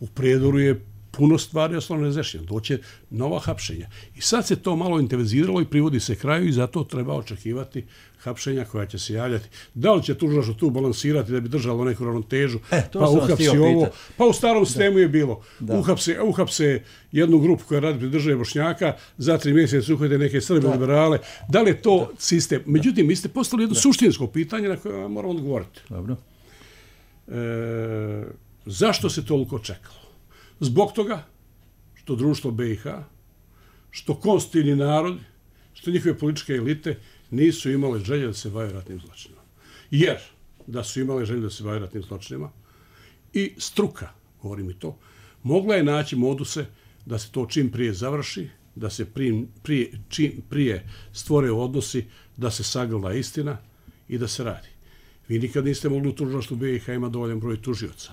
U Prijedoru je puno stvari osnovno razrešeno, doće nova hapšenja. I sad se to malo intenziviziralo i privodi se kraju i zato treba očekivati hapšenja koja će se javljati. Da li će tužilaštvo tu balansirati da bi držalo neku ravnotežu, e, pa uhapsi ovo, pa u starom sistemu je bilo, da. uhapse, uhapse jednu grupu koja radi pri državi Bošnjaka, za tri mjeseca uhvate neke Srbe liberale, da li je to da. sistem? Međutim, vi ste postavili jedno da. suštinsko pitanje na koje vam moram odgovoriti. Dobro. E, zašto se toliko čekalo? Zbog toga što društvo B i H, što konstitutivni narod, što njihove političke elite nisu imale želje da se bave ratnim zločinima. Jer da su imale želje da se bave ratnim zločinima i struka, govorim i to, mogla je naći moduse da se to čim prije završi, da se prije, prije, čim prije stvore odnosi, da se sagleda istina i da se radi. Vi nikad niste mogli u tužilaštvu B i H ima dovoljan broj tužioca.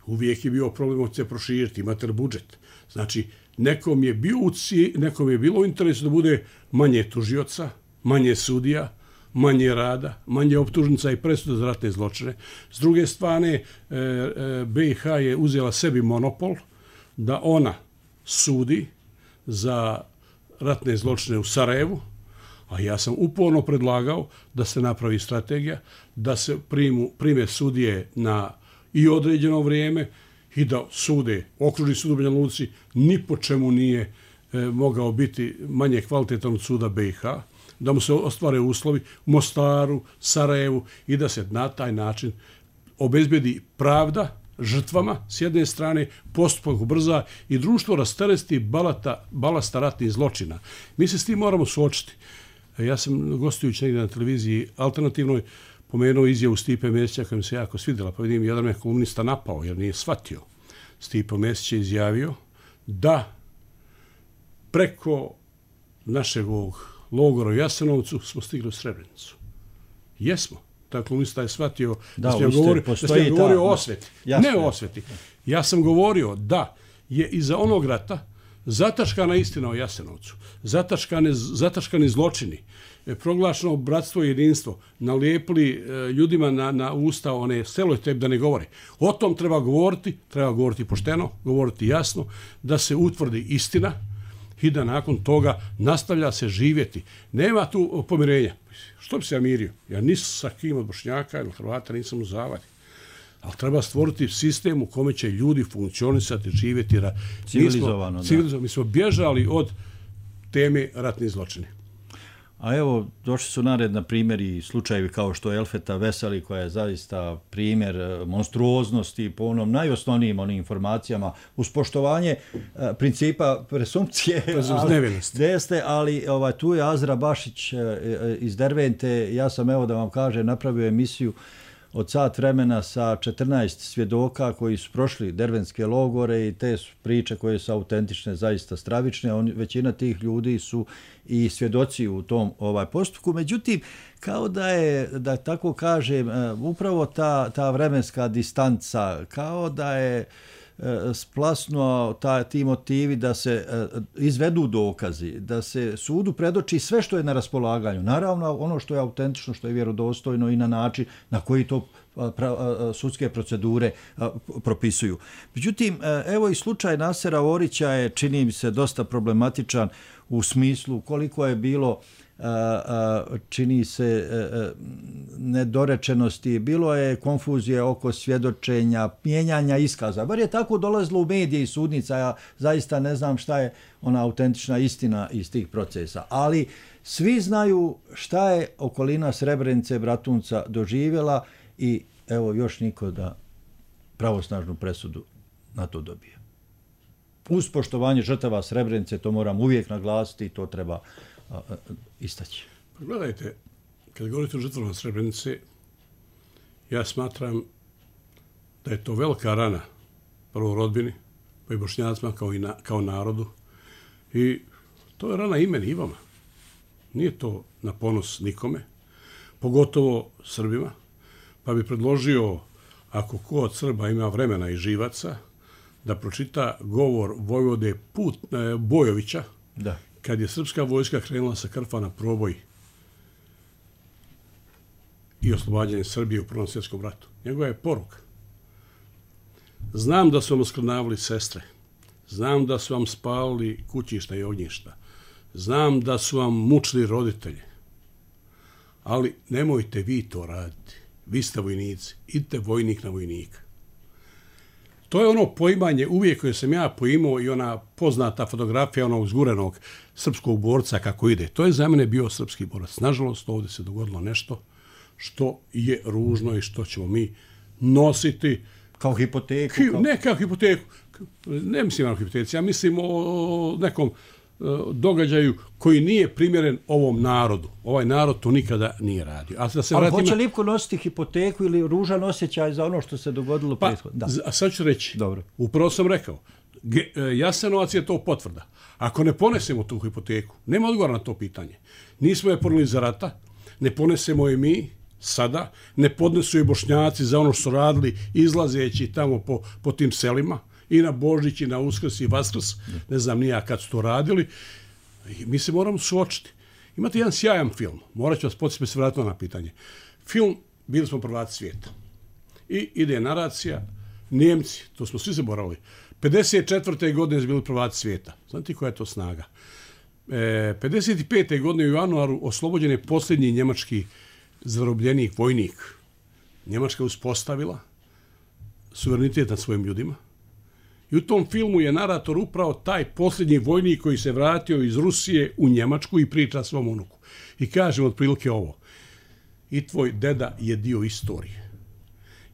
Uvijek je bio problem od se proširiti, imate budžet. Znači, nekom je, bio u ci, nekom je bilo u interesu da bude manje tužioca, manje sudija, manje rada, manje optužnica i presuda za ratne zločine. S druge strane, e, e, B i H je uzela sebi monopol da ona sudi za ratne zločine u Sarajevu, a ja sam uporno predlagao da se napravi strategija, da se primu, prime sudije na i određeno vrijeme i da sude, okružni sud u Banja Luci ni po čemu nije e, mogao biti manje kvalitetan od suda B i H, da mu se ostvare uslovi u Mostaru, Sarajevu i da se na taj način obezbedi pravda žrtvama s jedne strane, postupak ubrza i društvo rasteresti balata, balasta ratnih zločina. Mi se s tim moramo suočiti. Ja sam gostujući negdje na televiziji alternativnoj pomenuo izjavu Stipe Mesića koja mi se jako svidjela, pa vidim jedan me komunista napao jer nije shvatio. Stipe Mesić je izjavio da preko našeg logora u Jasenovcu smo stigli u Srebrenicu. Jesmo. Taj komunista je shvatio da, da sam govorio, da sam govorio o osveti. Jasno. Ne o osveti. Ja sam govorio da je iza onog rata zataškana istina o Jasenovcu, zataškane, zataškani zločini, proglašeno bratstvo i jedinstvo, nalijepili e, ljudima na, na usta one selojte da ne govore. O tom treba govoriti, treba govoriti pošteno, govoriti jasno, da se utvrdi istina i da nakon toga nastavlja se živjeti. Nema tu pomirenja. Što bi se ja mirio? Ja nisam sa kim od Bošnjaka ili Hrvata, nisam u zavadi. Ali treba stvoriti sistem u kome će ljudi funkcionisati, živjeti. Civilizovano, mi smo, civilizovano. Mi smo bježali od teme ratnih zločini. A evo, došli su nared na primjeri slučajevi kao što je Elfeta Veseli, koja je zaista primjer monstruoznosti po onom najosnovnijim onim informacijama, uz poštovanje e, principa presumpcije. Nevinosti. Jeste, ali ovaj, tu je Azra Bašić e, iz Dervente. Ja sam, evo da vam kažem, napravio emisiju od sat vremena sa četrnaest svjedoka koji su prošli dervenske logore i te su priče koje su autentične, zaista stravične. On, većina tih ljudi su i svjedoci u tom ovaj postupku. Međutim, kao da je, da tako kažem, upravo ta, ta vremenska distanca, kao da je splasnuo ta, ti motivi da se izvedu dokazi, da se sudu predoči sve što je na raspolaganju. Naravno, ono što je autentično, što je vjerodostojno i na način na koji to pra, sudske procedure propisuju. Međutim, evo i slučaj Nasera Orića je, čini mi se, dosta problematičan u smislu koliko je bilo čini se nedorečenosti, bilo je konfuzije oko svjedočenja, mijenjanja iskaza. Bar je tako dolazilo u medije i sudnica, ja zaista ne znam šta je ona autentična istina iz tih procesa. Ali svi znaju šta je okolina Srebrenice, Bratunca doživjela i evo još niko da pravosnažnu presudu na to dobije. Uz poštovanje žrtava Srebrenice, to moram uvijek naglasiti i to treba a, a, istaći. Pa gledajte, kad govorite o žrtvama Srebrenice, ja smatram da je to velika rana prvo rodbini, pa i Bošnjacima kao, i na, kao narodu. I to je rana i meni i vama. Nije to na ponos nikome, pogotovo Srbima. Pa bi predložio, ako ko od Srba ima vremena i živaca, da pročita govor vojvode Put, e, Bojovića, da. Kad je srpska vojska krenula sa Krfa na proboj i oslobađanje Srbije u Prvom svjetskom ratu. Njegova je poruka. Znam da su vam oskrnavili sestre, znam da su vam spalili kućišta i ognjišta, znam da su vam mučili roditelje, ali nemojte vi to raditi. Vi ste vojnici, idite vojnik na vojnika. To je ono poimanje uvijek koje sam ja poimao i ona poznata fotografija onog zgurenog srpskog borca kako ide. To je za mene bio srpski borac. Nažalost, ovdje se dogodilo nešto što je ružno i što ćemo mi nositi. Kao hipoteku? Hi, kao... Ne kao hipoteku. Ne mislim o hipoteci, ja mislim o nekom događaju koji nije primjeren ovom narodu. Ovaj narod to nikada nije radio. A, da se Ali vratim... hoće Lipko nositi hipoteku ili ružan osjećaj za ono što se dogodilo pa, prethodno? A sad ću reći. Dobro. Upravo sam rekao. Ge, Jasenovac je to potvrda. Ako ne ponesemo tu hipoteku, nema odgovora na to pitanje. Nismo je poneli za rata, ne ponesemo je mi sada, ne podnesu je Bošnjaci za ono što su radili izlazeći tamo po, po tim selima, i na Božić, i na Uskrs, i Vaskrs, ne znam nija kad su to radili. Mi se moramo suočiti. Imate jedan sjajan film, morat ću vas podsjetiti se vratiti na pitanje. Film Bili smo prvaci svijeta. I ide naracija, Njemci, to smo svi zaboravili, pedeset četvrte godine su bili prvaci svijeta. Znate koja je to snaga? E, pedeset pete godine u januaru oslobođen je posljednji njemački zarobljenik, vojnik. Njemačka uspostavila suverenitet nad svojim ljudima. I u tom filmu je narator upravo taj posljednji vojnik koji se vratio iz Rusije u Njemačku i priča svom unuku. I kaže otprilike ovo. I tvoj deda je dio istorije.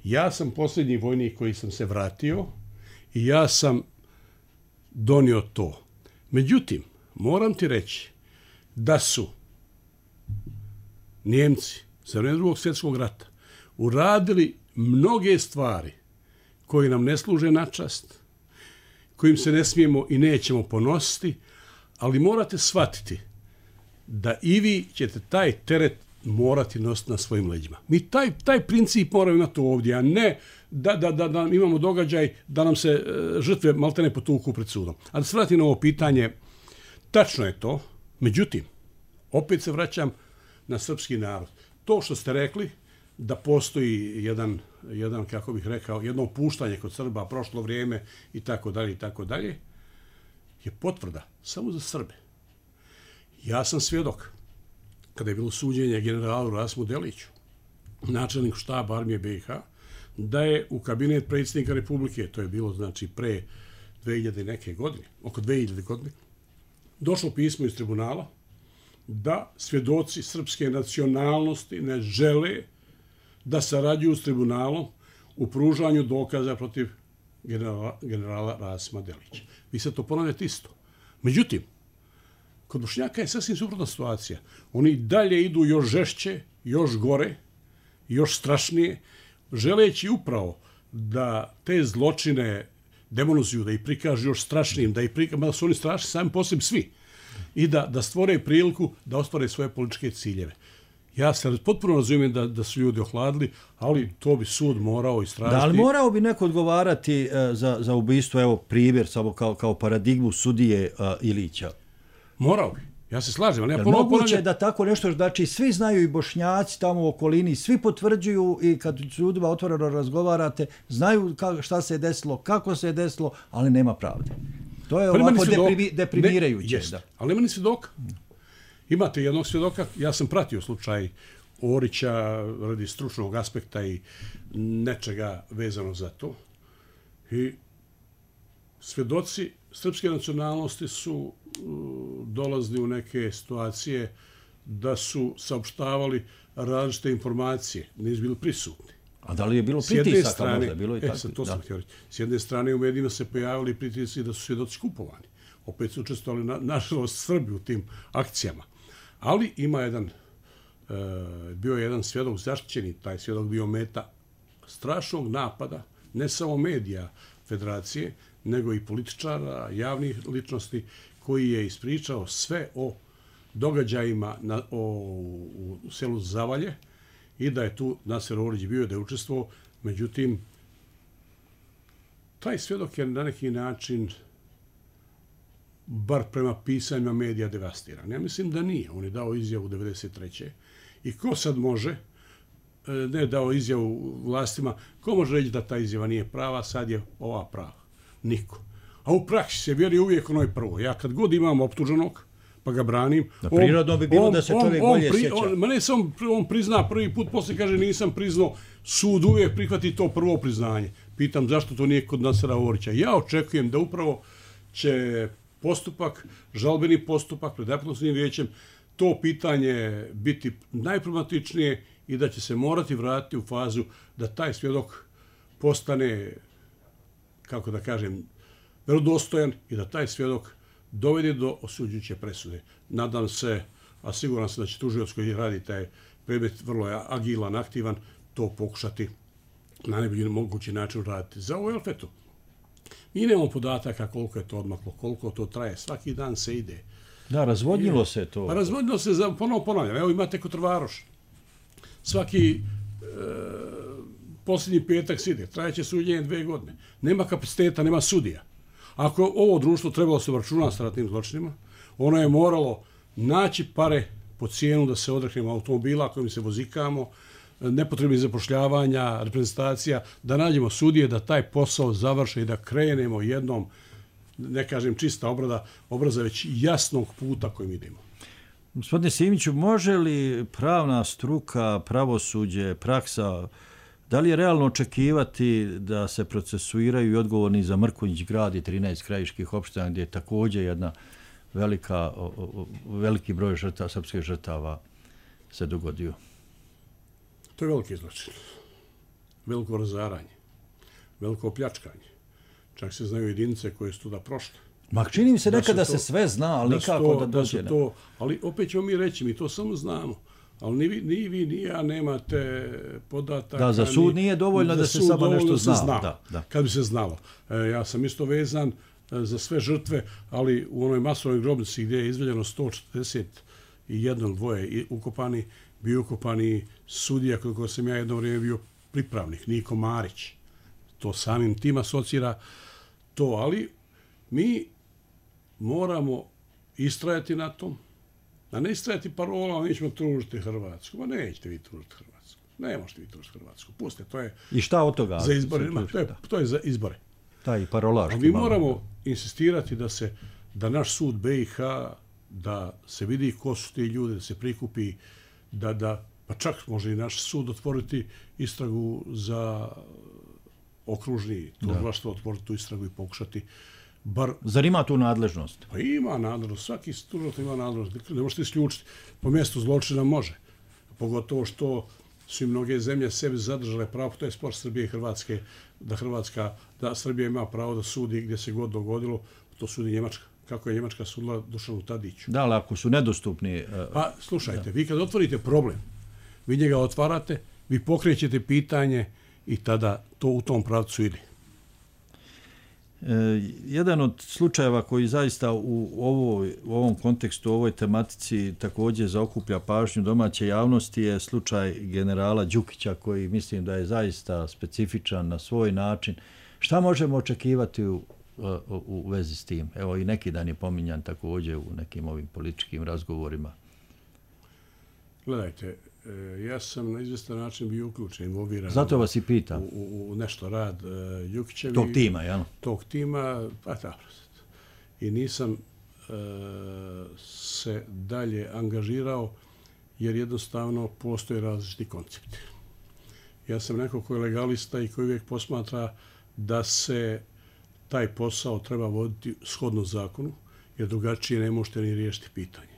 Ja sam posljednji vojnik koji sam se vratio i ja sam donio to. Međutim, moram ti reći da su Njemci za vrijeme drugog svjetskog rata uradili mnoge stvari koje nam ne služe na čast, kojim se ne smijemo i nećemo ponositi, ali morate shvatiti da i vi ćete taj teret morati nositi na svojim leđima. Mi taj, taj princip moramo imati ovdje, a ne da, da, da, da imamo događaj da nam se e, žrtve maltene potuku pred sudom. A da se vratim na ovo pitanje, tačno je to, međutim, opet se vraćam na srpski narod. To što ste rekli, da postoji jedan, jedan, kako bih rekao, jedno opuštanje kod Srba, prošlo vrijeme i tako dalje i tako dalje, je potvrda samo za Srbe. Ja sam svjedok kada je bilo suđenje generalu Rasmu Deliću, načelniku štaba armije B i H, da je u kabinet predsjednika Republike, to je bilo znači pre dve hiljade neke godine, oko dve hiljade godine, došlo pismo iz tribunala da svjedoci srpske nacionalnosti ne žele da sarađuju s tribunalom u pružanju dokaza protiv generala, generala Rasima Delića. Vi sad to ponavljate isto. Međutim, kod Bošnjaka je sasvim suprotna situacija. Oni dalje idu još žešće, još gore, još strašnije, želeći upravo da te zločine demonizuju, da ih prikažu još strašnijim, da ih prikažu, da su oni strašni sami po sebi svi, i da, da stvore priliku da ostvare svoje političke ciljeve. Ja se potpuno razumijem da, da su ljudi ohladili, ali to bi sud morao istražiti. Da, ali morao bi neko odgovarati uh, za, za ubistvo, evo primjer, samo kao, kao paradigmu sudije uh, Ilića. Morao bi. Ja se slažem, ali ja ponovno moguće ponavljam... da tako nešto, znači svi znaju i Bošnjaci tamo u okolini, svi potvrđuju i kad s ljudima otvoreno razgovarate, znaju ka, šta se je desilo, kako se je desilo, ali nema pravde. To je pa ovako deprimi, deprimirajuće. Ne, da. Ali nema ni svjedoka. Imate jednog svjedoka, ja sam pratio slučaj Orića radi stručnog aspekta i nečega vezano za to. I svjedoci srpske nacionalnosti su dolazili u neke situacije da su saopštavali različite informacije, nisu bili prisutni. A da li je bilo pritisaka možda? Bilo i e, sad, to sam htio reći. S jedne strane u medijima se pojavili pritisci da su svjedoci kupovani. Opet su učestvovali, na, nažalost, Srbi u tim akcijama. Ali ima jedan, e, bio je jedan svjedok zaštićeni, taj svjedok bio meta strašnog napada, ne samo medija Federacije, nego i političara, javnih ličnosti, koji je ispričao sve o događajima na, o, u selu Zavalje i da je tu Naser Orić bio, da je učestvovao. Međutim, taj svjedok je na neki način, bar prema pisanjima medija, devastiran. Ja mislim da nije. On je dao izjavu devedeset treće I ko sad može, ne dao izjavu vlastima, ko može reći da ta izjava nije prava, sad je ova prava? Niko. A u praksi se vjeri uvijek onoj prvo. Ja kad god imam optuženog, pa ga branim. Na prirodno bi bilo on, da se on, čovjek on, bolje pri, sjeća. On, ma ne samo on prizna prvi put, poslije kaže nisam priznao, sud uvijek prihvati to prvo priznanje. Pitam zašto to nije kod Nasera Orića. Ja očekujem da upravo će postupak, žalbeni postupak pred apelacionim vijećem, to pitanje biti najproblematičnije i da će se morati vratiti u fazu da taj svjedok postane, kako da kažem, vjerodostojan i da taj svjedok dovede do osuđujuće presude. Nadam se, a siguran sam da će tužioc koji radi taj predmet vrlo je agilan, aktivan, to pokušati na najbolji mogući način raditi. Za ovo Elfetu mi nemamo podataka koliko je to odmaklo, koliko to traje. Svaki dan se ide. Da, razvodnilo se to. Pa razvodnilo se, za, ponovo ponavljam. Evo imate Kotrvaroš. Svaki e, posljednji petak se ide. Trajeće suđenje dve godine. Nema kapaciteta, nema sudija. Ako ovo društvo trebalo se računa s ratnim zločinima, ono je moralo naći pare po cijenu da se odreknemo automobila kojim se vozikamo, nepotrebnih zapošljavanja, reprezentacija, da nađemo sudije, da taj posao završe i da krenemo jednom, ne kažem čista obrada, obraza već jasnog puta kojim idemo. Gospodine Simiću, može li pravna struka, pravosuđe, praksa, da li je realno očekivati da se procesuiraju i odgovorni za Mrkonjić grad i trinaest krajiških opština gdje je također jedna velika, veliki broj žrtava, srpskih žrtava se dogodio? To je veliki zločin. Veliko razaranje. Veliko pljačkanje. Čak se znaju jedinice koje su tuda prošle. Ma čini mi se nekada da se sve zna, ali nikako da dođe. Da to, ali opet ćemo mi reći, mi to samo znamo. Ali ni vi, ni, vi, ni ja nemate podataka. Da, za sud nije dovoljno da se samo nešto zna. zna. Da, da. Kad bi se znalo. E, ja sam isto vezan e, za sve žrtve, ali u onoj masovnoj grobnici gdje je izveljeno sto četrdeset jedan dvoje ukopani, bio ukopani sudija koliko sam ja jedno vrijeme bio pripravnik, Niko Marić. To samim tim asocira to, ali mi moramo istrajati na tom, a ne istrajati parola, mi ćemo tužiti Hrvatsku. Ma nećete vi tužiti Hrvatsku. Ne možete vi tužiti Hrvatsku. Puste, to je... I šta od toga? Za izbore. Ma, to, je, to je za izbore. Taj parolaški. A mi moramo malo insistirati da se, da naš sud B i H, da se vidi ko su ti ljudi, da se prikupi, da, da, pa čak može i naš sud otvoriti istragu za okružni tužilaštvo, otvoriti tu istragu i pokušati bar... Zar ima tu nadležnost? Pa ima nadležnost, svaki tužilac ima nadležnost, ne možete isključiti. Po mjestu zločina može. Pogotovo što su i mnoge zemlje sebi zadržale pravo, to je spor Srbije i Hrvatske, da Hrvatska, da Srbija ima pravo da sudi gdje se god dogodilo, to sudi Njemačka. Kako je Njemačka sudila Dušanu Tadiću. Da, ali ako su nedostupni... Uh, pa, slušajte, da. Vi kad otvorite problem, vi njega otvarate, vi pokrećete pitanje i tada to u tom pravcu ide. E, jedan od slučajeva koji zaista u, ovoj, u ovom kontekstu, u ovoj tematici također zaokuplja pažnju domaće javnosti je slučaj generala Đukića, koji mislim da je zaista specifičan na svoj način. Šta možemo očekivati u, u, u vezi s tim? Evo i neki dan je pominjan također u nekim ovim političkim razgovorima. Gledajte, ja sam na izvjestan način bio uključen, involviran. Zato vas i pitam. U, u, u nešto rad uh, Đukićevi. Tog tima, jel? Tog tima, pa dobro. I nisam uh, se dalje angažirao, jer jednostavno postoje različiti koncepti. Ja sam neko koji je legalista i koji uvijek posmatra da se taj posao treba voditi shodno zakonu, jer drugačije ne možete ni riješiti pitanje.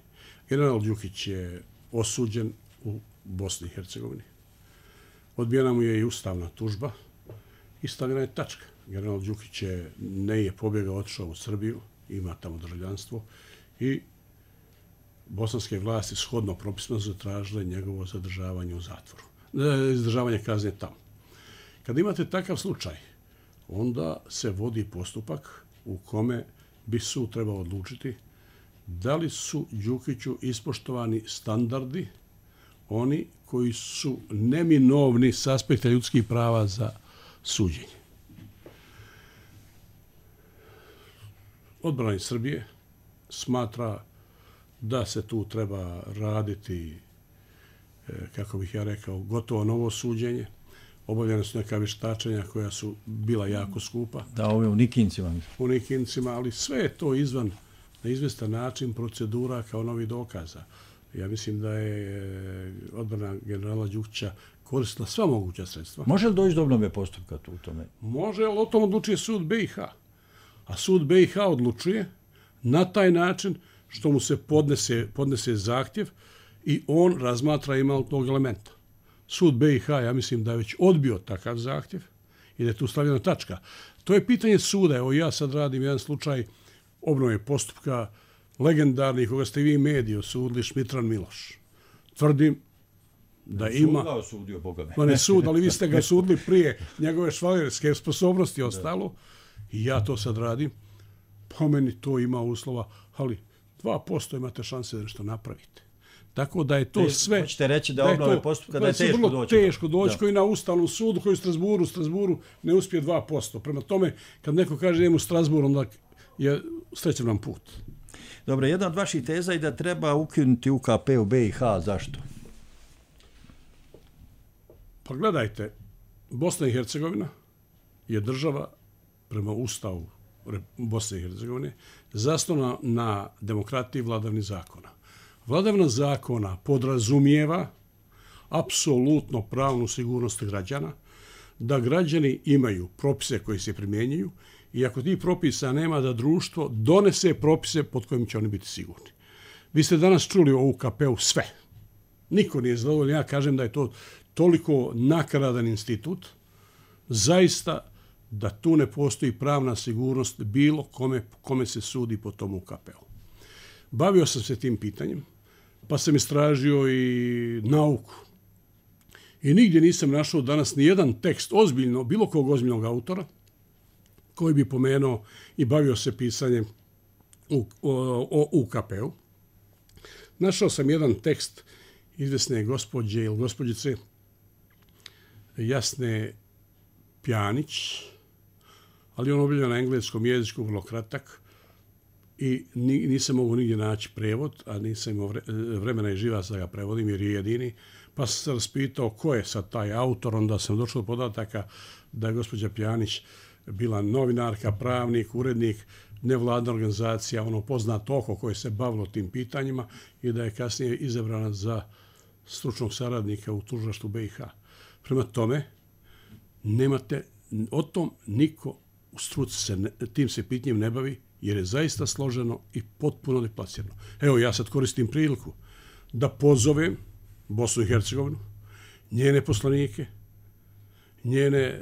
General Đukić je osuđen u Bosni i Hercegovini. Odbijena mu je i ustavna tužba i stavljena je tačka. General Đukić je, ne je pobjegao, otišao u Srbiju, ima tamo državljanstvo i bosanske vlasti shodno propisima zatražile njegovo zadržavanje u zatvoru. Izdržavanje kazne tamo. Kad imate takav slučaj, onda se vodi postupak u kome bi sud trebao odlučiti da li su Đukiću ispoštovani standardi, oni koji su neminovni s aspekta ljudskih prava za suđenje. Odbrana Srbije smatra da se tu treba raditi, kako bih ja rekao, gotovo novo suđenje. Obavljene su neka vještačenja koja su bila jako skupa. Da, ove u Nikincima. U Nikincima, ali sve je to izvan na izvestan način procedura kao novi dokaza. Ja mislim da je odbrana generala Đukića koristila sva moguća sredstva. Može li doći do obnove postupka tu u tome? Može, ali o tom odlučuje sud B i H. A sud B i H odlučuje na taj način što mu se podnese, podnese zahtjev i on razmatra ima li tog elementa. Sud B i H, ja mislim da je već odbio takav zahtjev i da je tu stavljena tačka. To je pitanje suda. Evo ja sad radim jedan slučaj obnove postupka legendarni koga ste vi mediji osudili, Šmitran Miloš. Tvrdim da ima... Sud ga osudio, Boga me. Ma ne sud, ali vi ste ga osudili prije njegove švalerske sposobnosti i ostalo. I ja to sad radim. Po meni to ima uslova, ali dva posto imate šanse da nešto napravite. Tako da je to Te, sve... Hoćete reći da, da obnove postupka da je teško vrlo doći. Teško doći koji na Ustavnom sudu, koji u Strasburu, u Strasburu ne uspije dva posto. Prema tome, kad neko kaže idem u Strasbur, onda je srećan nam put. Dobro, jedna od vaših teza je da treba ukinuti U K P u B i H. Zašto? Pa gledajte, Bosna i Hercegovina je država prema Ustavu Bosne i Hercegovine zasnovana na demokratiji i vladavini zakona. Vladavina zakona podrazumijeva apsolutno pravnu sigurnost građana, da građani imaju propise koji se primjenjuju i ako tih propisa nema, da društvo donese propise pod kojim će oni biti sigurni. Vi ste danas čuli o U K P-u sve. Niko nije zadovoljan. Ja kažem da je to toliko nakaradan institut, zaista da tu ne postoji pravna sigurnost bilo kome, kome se sudi po tom U K P-u. Bavio sam se tim pitanjem, pa sam istražio i nauku. I nigdje nisam našao danas ni jedan tekst ozbiljno, bilo kog ozbiljnog autora, koji bi pomenuo i bavio se pisanjem o, o, o U K P-u. Našao sam jedan tekst izvesne gospođe ili gospođice Jasne Pjanić, ali on objavljen na engleskom jeziku, vrlo kratak, i nisam mogu nigdje naći prevod, a nisam imao vremena i živaca da ga prevodim jer je jedini, pa sam se raspitao ko je sad taj autor, onda sam došao do podataka da je gospođa Pjanić bila novinarka, pravnik, urednik, nevladna organizacija, ono poznato oko koje se bavilo tim pitanjima i da je kasnije izabrana za stručnog saradnika u tužilaštvu B i H. Prema tome, nemate, o tom niko u struci se ne, tim se pitanjem ne bavi, jer je zaista složeno i potpuno deplasirano. Evo, ja sad koristim priliku da pozovem Bosnu i Hercegovinu, njene poslanike, njene e,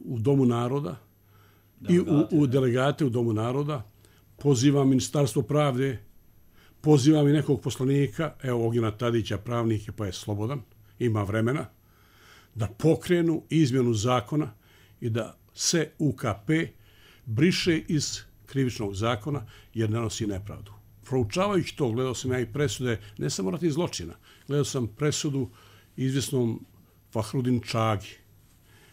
u Domu naroda i u, u delegate u Domu naroda, pozivam Ministarstvo pravde, pozivam i nekog poslanika, evo Ognjena Tadića, pravnik je pa je slobodan, ima vremena, da pokrenu izmjenu zakona i da se U K P briše iz krivičnog zakona jer nanosi nepravdu. Proučavajući to, gledao sam ja i presude, ne samo ratnih zločina, gledao sam presudu izvjesnom Fahrudin Čagi,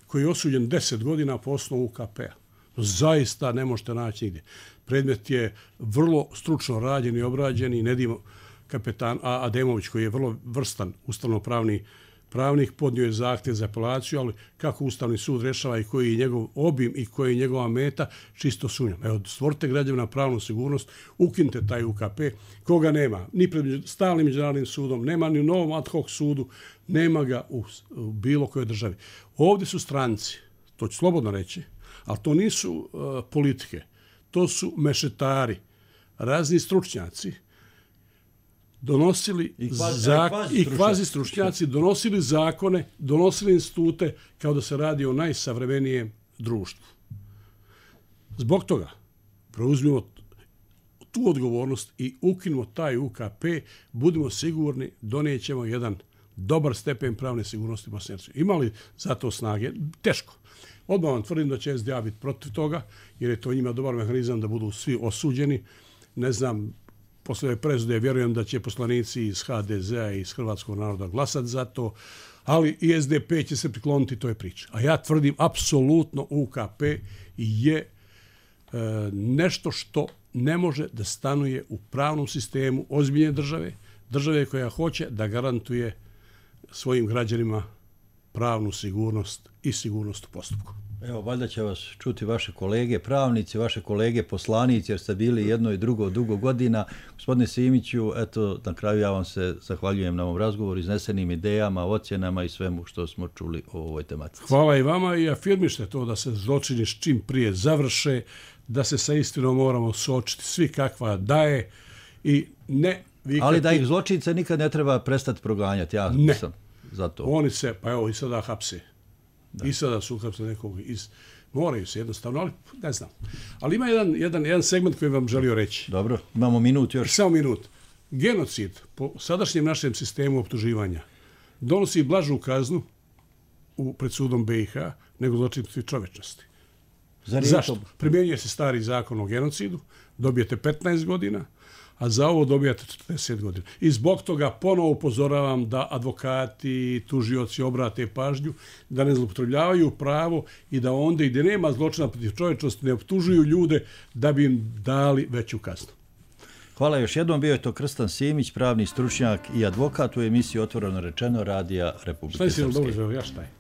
koji je osuđen deset godina po osnovu U K P-a. Zaista ne možete naći nigdje. Predmet je vrlo stručno rađen i obrađen i Nedim kapetan A. Ademović, koji je vrlo vrstan ustavnopravni pravnik, podnio je zahtjev za apelaciju, ali kako Ustavni sud rešava i koji je njegov obim i koji je njegova meta, čisto sumnjam. Evo, stvorite građevna pravnu sigurnost, ukinite taj U K P, koga nema, ni pred stalnim međunarodnim sudom, nema ni u novom ad hoc sudu, nema ga u, u bilo kojoj državi. Ovdje su stranci, to ću slobodno reći, ali to nisu uh, politike, to su mešetari, razni stručnjaci, donosili I kvazi, zak- kvazi i kvazi stručnjaci, donosili zakone, donosili institute kao da se radi o najsavremenijem društvu. Zbog toga preuzmimo tu odgovornost i ukinimo taj U K P, budimo sigurni, donijećemo jedan dobar stepen pravne sigurnosti u Bosni i Hercegovini. Ima li za to snage? Teško. Odmah vam tvrdim da će S D A biti protiv toga, jer je to njima dobar mehanizam da budu svi osuđeni. Ne znam, posle ove presude vjerujem da će poslanici iz H D Z-a i iz Hrvatskog naroda glasati za to, ali i S D P će se prikloniti toj priči. A ja tvrdim, apsolutno U K P je e, nešto što ne može da stanuje u pravnom sistemu ozbiljne države, države koja hoće da garantuje svojim građanima pravnu sigurnost i sigurnost u postupku. Evo, valjda će vas čuti vaše kolege pravnici, vaše kolege poslanici, jer ste bili jedno i drugo dugo godina. Gospodine Simiću, eto, na kraju ja vam se zahvaljujem na ovom razgovoru, iznesenim idejama, ocjenama i svemu što smo čuli o ovoj tematici. Hvala i vama i afirmište to da se zločini čim prije završe, da se sa istinom moramo suočiti svi kakva daje i ne vikati... Ali da ih zločince nikad ne treba prestati proganjati, ja ne. sam za to. Oni se, pa evo i sada hapse. Da. I sada su uhapsili nekog iz... Moraju se jednostavno, ali ne znam. Ali ima jedan, jedan, jedan segment koji vam želio reći. Dobro, imamo minut još. Samo minut. Genocid po sadašnjem našem sistemu optuživanja donosi blažu kaznu u, pred sudom B i H nego zločin protiv čovečnosti. Zašto? Primjenjuje se stari zakon o genocidu, dobijete petnaest godina, a za ovo dobijate četrdeset godina. I zbog toga ponovo upozoravam da advokati i tužioci obrate pažnju, da ne zloupotrebljavaju pravo i da onda i gdje nema zločina protiv čovječnosti ne optužuju ljude da bi im dali veću kaznu. Hvala još jednom, bio je to Krstan Simić, pravni stručnjak i advokat u emisiji Otvoreno rečeno Radija Republike Srpske. Šta je dobro, ja šta je?